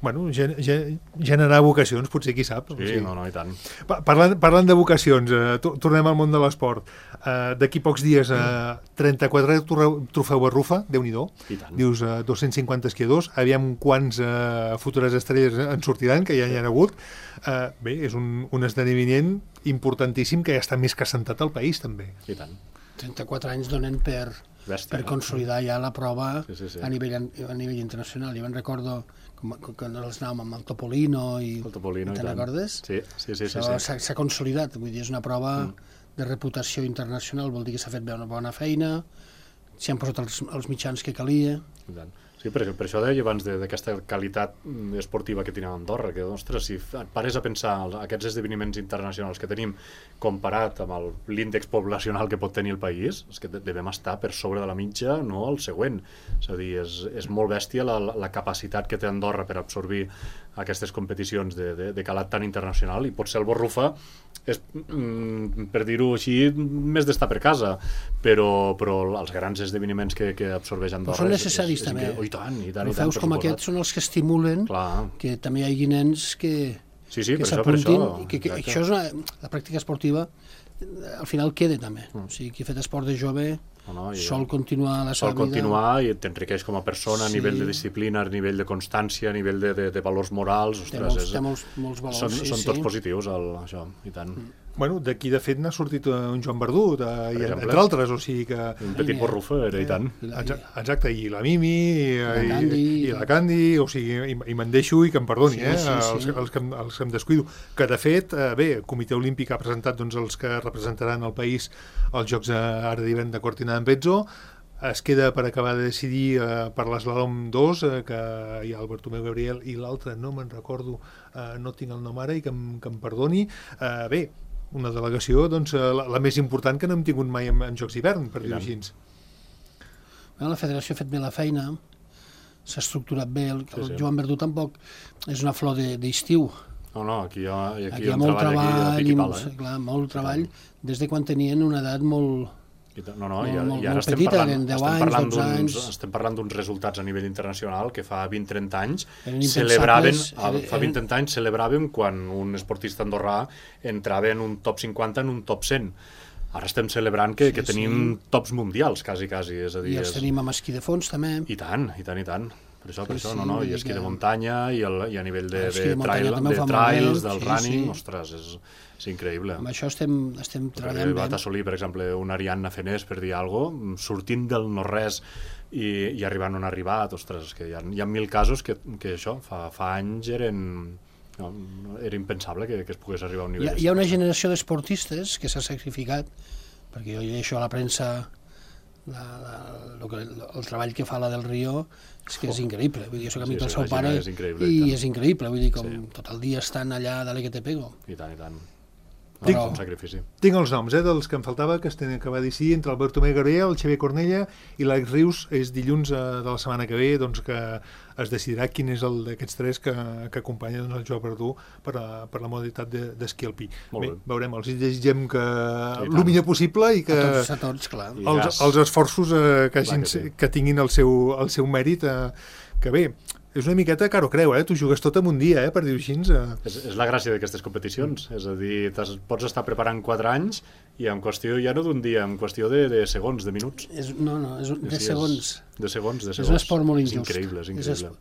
Bueno, gen, gen, generar vocacions, potser qui sap. Sí, o sigui. no, no, i tant. Parlant, parlant de vocacions, eh, tornem al món de l'esport. Eh, D'aquí pocs dies, eh, trenta-quatre trofeu Barrufa, Déu-n'hi-do. Dius eh, dos-cents cinquanta esquiadors, aviam quants eh, futures estrelles en sortiran, que ja n'hi ha hagut. Eh, bé, és un, un esdeveniment importantíssim que ja està més que assentat al país, també. I tant. trenta-quatre anys donen per, Bèstia, per consolidar ja la prova sí, sí, sí. A, nivell, a nivell internacional. Jo me'n recordo quan els anàvem amb el Topolino i el Topolino, te'n recordes? Sí, sí, sí. S'ha sí, sí. s'ha consolidat, vull dir, és una prova mm. de reputació internacional, vol dir que s'ha fet bé una bona feina, s'hi han posat els, els mitjans que calia. I tant. Sí, per, per això deia abans d'aquesta qualitat esportiva que tenim a Andorra, que, ostres, si et pares a pensar aquests esdeveniments internacionals que tenim comparat amb l'índex poblacional que pot tenir el país, és que devem estar per sobre de la mitja, no el següent. És a dir, és, és molt bèstia la, la capacitat que té Andorra per absorbir aquestes competicions de, de, de calat tan internacional, i potser el Barrufa és, mm, per dir-ho així, més d'estar per casa, però, però els grans esdeveniments que, que absorbeix Andorra... Però són necessaris, és, és, també. És, oh, i tant, i tant, Trofeus com aquests són els que estimulen Clar. Que també hi hagi nens que, sí, sí, que s'apuntin, i que, que això és una, la pràctica esportiva al final queda també, mm. o sigui, qui ha fet esport de jove no, no, sol continuar la seva vida. Sol continuar i t'enriqueix com a persona sí. a nivell de disciplina, a nivell de constància, a nivell de, de, de valors morals, ostres, té molts, és, té molts, molts valors, són, sí, són sí. tots positius, el, això, i tant. Mm. Bueno, d'aquí de fet n'ha sortit un Joan Verdú, de, i, entre altres, o sigui que... Un petit Barrufa, era, i tant. Exacte, i la Mimi, i la Candi, i, i la Candi, o sigui, i, i me'n deixo i que em perdoni, sí, eh, sí, sí. Els, els, que, els que em descuido. Que, de fet, eh, bé, el Comitè Olímpic ha presentat doncs, els que representaran el país als Jocs ara d'hivern de Cortina d'Ampezzo. Es queda per acabar de decidir eh, per l'eslàlom dos, eh, que hi ha el Bartomeu Gabriel i l'altre, no me'n recordo, eh, no tinc el nom ara i que em, que em perdoni. Eh, bé, una delegació doncs, la, la més important que no hem tingut mai en, en Jocs d'hivern, per dir-ho així. Bueno, la federació ha fet bé la feina, s'ha estructurat bé, el, el sí, sí. Joan Verdú tampoc és una flor d'estiu. No, no, aquí hi ha, aquí aquí hi ha molt treball, treball i, pala, eh? clar, molt treball, des de quan tenien una edat molt... No, no, molt, i, molt, i ara molt estem petita, parlant, deu estem anys, parlant dotze anys... Estem parlant d'uns resultats a nivell internacional que fa vint trenta anys celebraven, eren, fa vint trenta anys celebràvem quan un esportista andorrà entrava en un top cinquanta, en un top cent. Ara estem celebrant que, sí, que tenim sí. tops mundials, quasi, quasi. És a dir, I els és... tenim amb esquí de fons, també. I tant, i tant, i tant. Per això, per sí, això, sí, no, no, i esquí de muntanya, i, el, i a nivell de, de, de, trail, de trails, del sí, running, sí. ostres, és, és increïble. Amb això estem, estem treballant bé. Va assolir, per exemple, una Ariadna Fenés, per dir alguna cosa, sortint del no-res i, i arribant on ha arribat, ostres, que hi ha, hi ha mil casos que, que això, fa, fa anys eren... No, era impensable que, que es pogués arribar a un nivell. Hi ha, hi ha una generació d'esportistes que s'ha sacrificat, perquè jo llegeixo a la premsa la, la, el, el treball que fa la del Rio, és que és increïble. Vull dir, jo soc amic sí, del seu pare és i, i és increïble, vull dir, com sí. tot el dia estan allà, dale que te pego. I tant, i tant. Tinc, no, un sacrifici. Tinc els noms, eh, dels que em faltava, que es tenen que va decidir entre el Bartomeu Gabriel, el Xavier Cornella i l'Àlex Rius. És dilluns eh, de la setmana que ve, doncs, que es decidirà quin és el d'aquests tres que, que acompanya doncs, el Joan Verdú per, a, per la modalitat d'esquí de, alpí. Bé, bé, veurem, els desitgem que sí, el millor possible i que a tots, a tots, clar. Els, els esforços eh, que, hagin, que, sí. que tinguin el seu, el seu mèrit, eh, que bé, és una miqueta caro creu, eh? Tu jugues tot en un dia, eh? Per dir-ho així. Eh? És, és la gràcia d'aquestes competicions, mm. és a dir, pots estar preparant quatre anys i en qüestió ja no d'un dia, en qüestió de, de segons, de minuts. És, no, no, és de sí, segons. És, de segons, de segons. És un esport molt injust. És increïble, és increïble.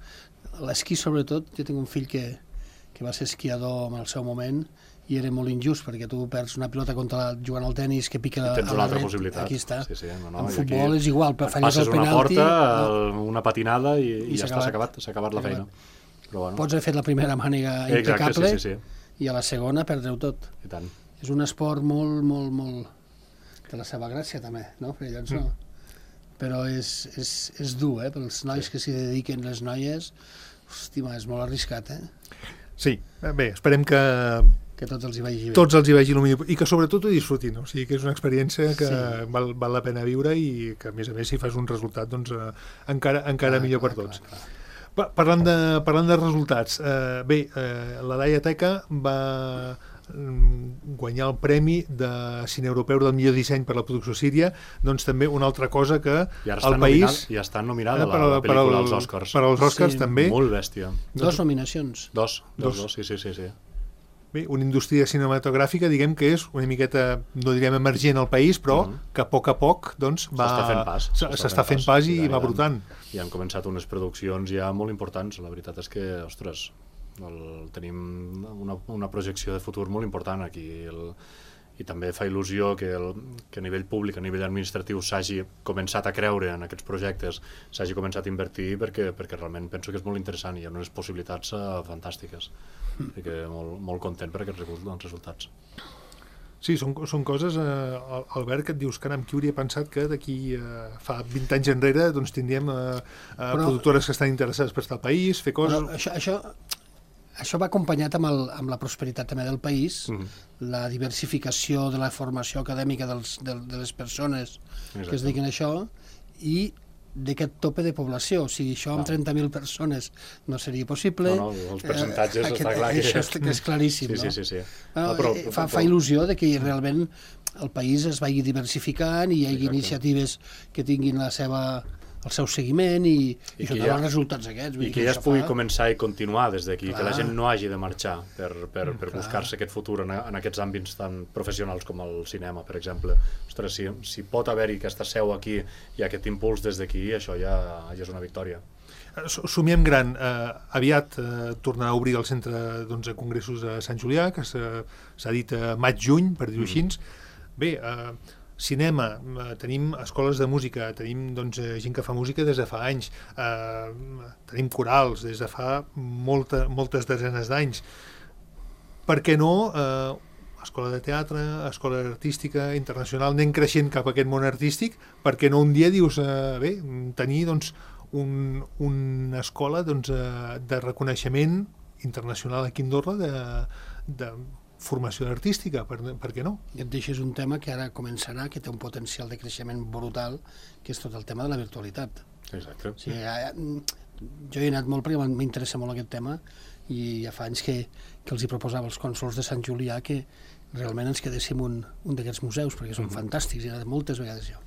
L'esquí, sobretot, jo tinc un fill que, que va ser esquiador en el seu moment i era molt injust, perquè tu perds una pilota contra jugant al tenis que pica a la red. Tens una altra possibilitat. Aquí està. Sí, sí, no, no, en futbol és igual, però falles el Passes penalti... una porta, no? una patinada i, i, I ja està, s'ha acabat, s'ha acabat la feina. Però, bueno. Pots haver fet la primera mànega impecable, Exacte, sí, sí, sí. i a la segona perdreu tot. I tant. És un esport molt, molt, molt de la seva gràcia també, no? Perquè llavors no. Però és, és, és dur, eh? Pels nois que s'hi dediquen, les noies, hòstia, és molt arriscat, eh? Sí, bé, esperem que que tots els hi vagi bé. Tots els hi vagi el millor, i que sobretot ho disfrutin, o sigui que és una experiència que Sí. val, val la pena viure i que a més a més si fas un resultat doncs eh, encara, encara Clar, millor clar, per tots. clar, clar. Pa- Parlant de, parlant de resultats, eh, bé, eh, la Daia Teca va mm, guanyar el premi de cine europeu del millor disseny per la producció síria, doncs també una altra cosa que I ara el està país... nominada, i està nominada eh, la, la per pel·lícula al- als Oscars. Per als Oscars Sí, també. Molt bèstia. Dos nominacions. Dos, dos, Dos. dos, sí, sí, sí. sí. Bé, una indústria cinematogràfica, diguem que és una miqueta, no direm emergent al país, però Mhm. que a poc a poc doncs, va... S'està fent pas. s- S'està fent pas i tant, va tant. brotant. I han començat unes produccions ja molt importants. La veritat és que, ostres, el, tenim una, una projecció de futur molt important aquí. El, I també fa il·lusió que, el, que a nivell públic, a nivell administratiu, s'hagi començat a creure en aquests projectes, s'hagi començat a invertir perquè, perquè realment penso que és molt interessant i hi ha unes possibilitats uh, fantàstiques. Així que molt, molt content per aquests resultats. Sí, són, són coses, eh, Albert, que et dius, caram, qui hauria pensat que d'aquí eh, fa vint anys enrere doncs tindríem eh, eh, Però- productores que estan interessades per estar al país, fer coses... Però això, això, això va acompanyat amb, el, amb la prosperitat també del país, Mhm. la diversificació de la formació acadèmica dels, de, de les persones que es Exacte. dediquen a això i d'aquest tope de població. O sigui, això amb Clar. trenta mil persones no seria possible. No, no, els percentatges Eh, està clar que- Això és, que és claríssim, Sí, sí, no? sí. sí. Bueno, No, però- eh, fa, però- fa il·lusió de que realment el país es vagi diversificant i hi hagi Exacte. iniciatives que tinguin la seva, el seu seguiment i, i, I això que té ja- els resultats aquests. vull I dir que ja es això pugui fa- començar i continuar des d'aquí, que la Clar. gent no hagi de marxar per, per, per Clar. buscar-se aquest futur en, en aquests àmbits tan professionals com el cinema, per exemple. Ostres, si, si pot haver-hi aquesta seu aquí i aquest impuls des d'aquí, això ja, ja és una victòria. Eh, s- Somiem gran. Eh, aviat eh, tornarà a obrir el centre doncs, de congressos a Sant Julià, que s'ha s'ha dit a maig-juny, per dir-ho així. Bé, eh, cinema, eh, tenim escoles de música, tenim doncs, eh, gent que fa música des de fa anys, eh, tenim corals des de fa molta, moltes desenes d'anys. Per què no eh, escola de teatre, escola artística internacional, anem creixent cap a aquest món artístic, perquè no un dia dius, eh, bé, tenir doncs, un, una escola doncs, eh, de reconeixement internacional aquí a Andorra de, de formació artística, per, per què no? I et deixes un tema que ara començarà, que té un potencial de creixement brutal, que és tot el tema de la virtualitat. Exacte. O sigui, ja, jo hi he anat molt perquè m'interessa molt aquest tema i ja fa anys que, que els hi proposava als cònsols de Sant Julià que realment ens quedéssim un, un d'aquests museus, perquè són fantàstics, he anat moltes vegades jo.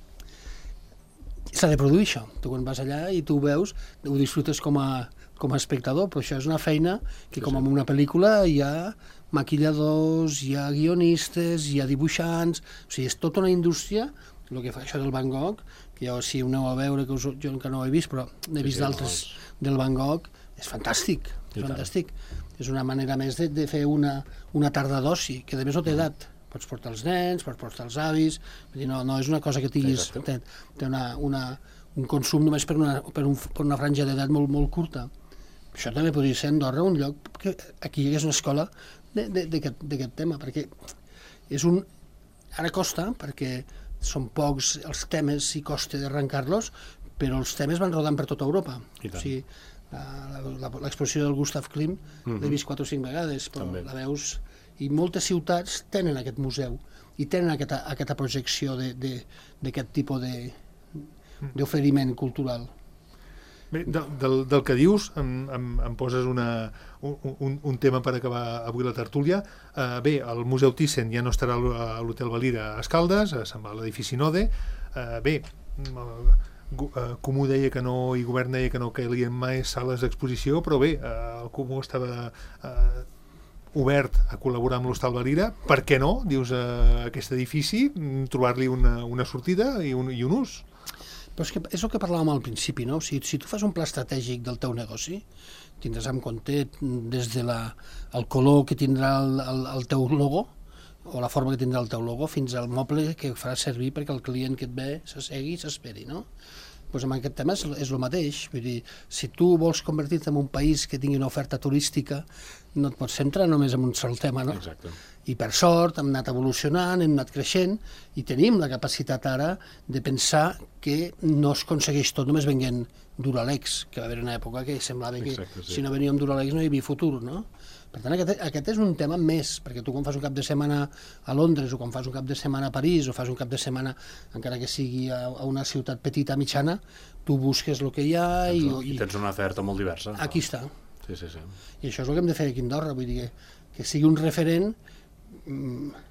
S'ha de produir això. Tu quan vas allà i tu ho veus, ho disfrutes com a, com a espectador, però això és una feina que Sí, com sí. en una pel·lícula hi ha maquilladors, hi ha guionistes, hi ha dibuixants, o sigui, és tota una indústria, el que fa això del Van Gogh, que jo si ho aneu a veure, que us, jo encara no ho he vist, però n'he Sí, vist sí, d'altres doncs. del Van Gogh, és fantàstic, I és tant. fantàstic. És una manera més de, de fer una, una tarda d'oci, que a més no té edat. Pots portar els nens, pots portar els avis, vull dir, no, no és una cosa que tinguis, té, Exacte. té una, una, un consum només per una, per un, per una franja d'edat molt, molt curta. Això també podria ser a Andorra un lloc que aquí hi hagués una escola de- de- d'aquest d'aquest tema, perquè és un... Ara costa, perquè són pocs els temes i costa d'arrencar-los, però els temes van rodant per tota Europa. I tant. O sigui, la- la- l'exposició del Gustav Klimt Mhm. l'he vist quatre o cinc vegades, però També. la veus... I moltes ciutats tenen aquest museu i tenen aquesta, aquesta projecció de- de- d'aquest tipus de d'oferiment cultural. Bé, del, del, del que dius em, em, em poses una, un, un, un tema per acabar avui la tertúlia. Uh, bé, el Museu Thyssen ja no estarà a l'Hotel Valira a Escaldes, se'n va a l'edifici Node. Uh, bé, uh, Comú deia que no, i Govern deia que no calien mai sales d'exposició, però bé, uh, el Comú estava uh, obert a col·laborar amb l'Hostal Valira. Per què no, dius, uh, aquest edifici, mm, trobar-li una, una sortida i un, i un ús? Però és, que és el que parlàvem al principi, no? Si, si tu fas un pla estratègic del teu negoci, tindràs en compte des de la, el color que tindrà el, el, el teu logo, o la forma que tindrà el teu logo, fins al moble que farà servir perquè el client que et ve s'assegui i s'esperi, no? doncs amb aquest tema és, és el mateix. Vull dir, si tu vols convertir-te en un país que tingui una oferta turística, no et pots centrar només en un sol tema, no? Exacte. I per sort hem anat evolucionant, hem anat creixent i tenim la capacitat ara de pensar que no es aconsegueix tot només venint Duralex, que va haver una època que semblava que Exacte, sí. si no venia amb Duralex no hi havia futur, no? Per tant, aquest, aquest és un tema més, perquè tu quan fas un cap de setmana a Londres o quan fas un cap de setmana a París o fas un cap de setmana, encara que sigui a, a una ciutat petita, mitjana, tu busques el que hi ha i... I tens una oferta molt diversa. Aquí està. Sí, sí, sí. I això és el que hem de fer aquí a Andorra, vull dir que, que sigui un referent, mm,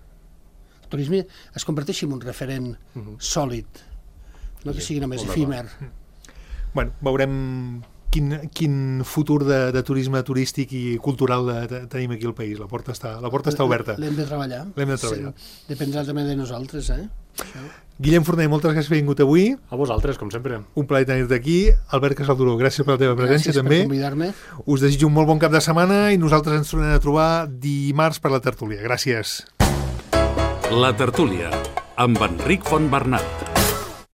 el turisme es converteixi en un referent uh-huh. sòlid, no que sigui només efímer. Bueno, veurem quin, quin futur de, de turisme turístic i cultural de, de, tenim aquí al país. La porta està, la porta està oberta. L'hem de treballar. L'hem de treballar. Sí, dependrà també de nosaltres, eh? Això. Guillem Forner, moltes gràcies per haver vingut avui. A vosaltres, com sempre. Un plaer tenir-te aquí. Albert Casalduró, gràcies per la teva presència gràcies també. Gràcies per convidar-me. Us desitjo un molt bon cap de setmana i nosaltres ens tornem a trobar dimarts per la tertúlia. Gràcies. La tertúlia, amb Enric Fontbernat.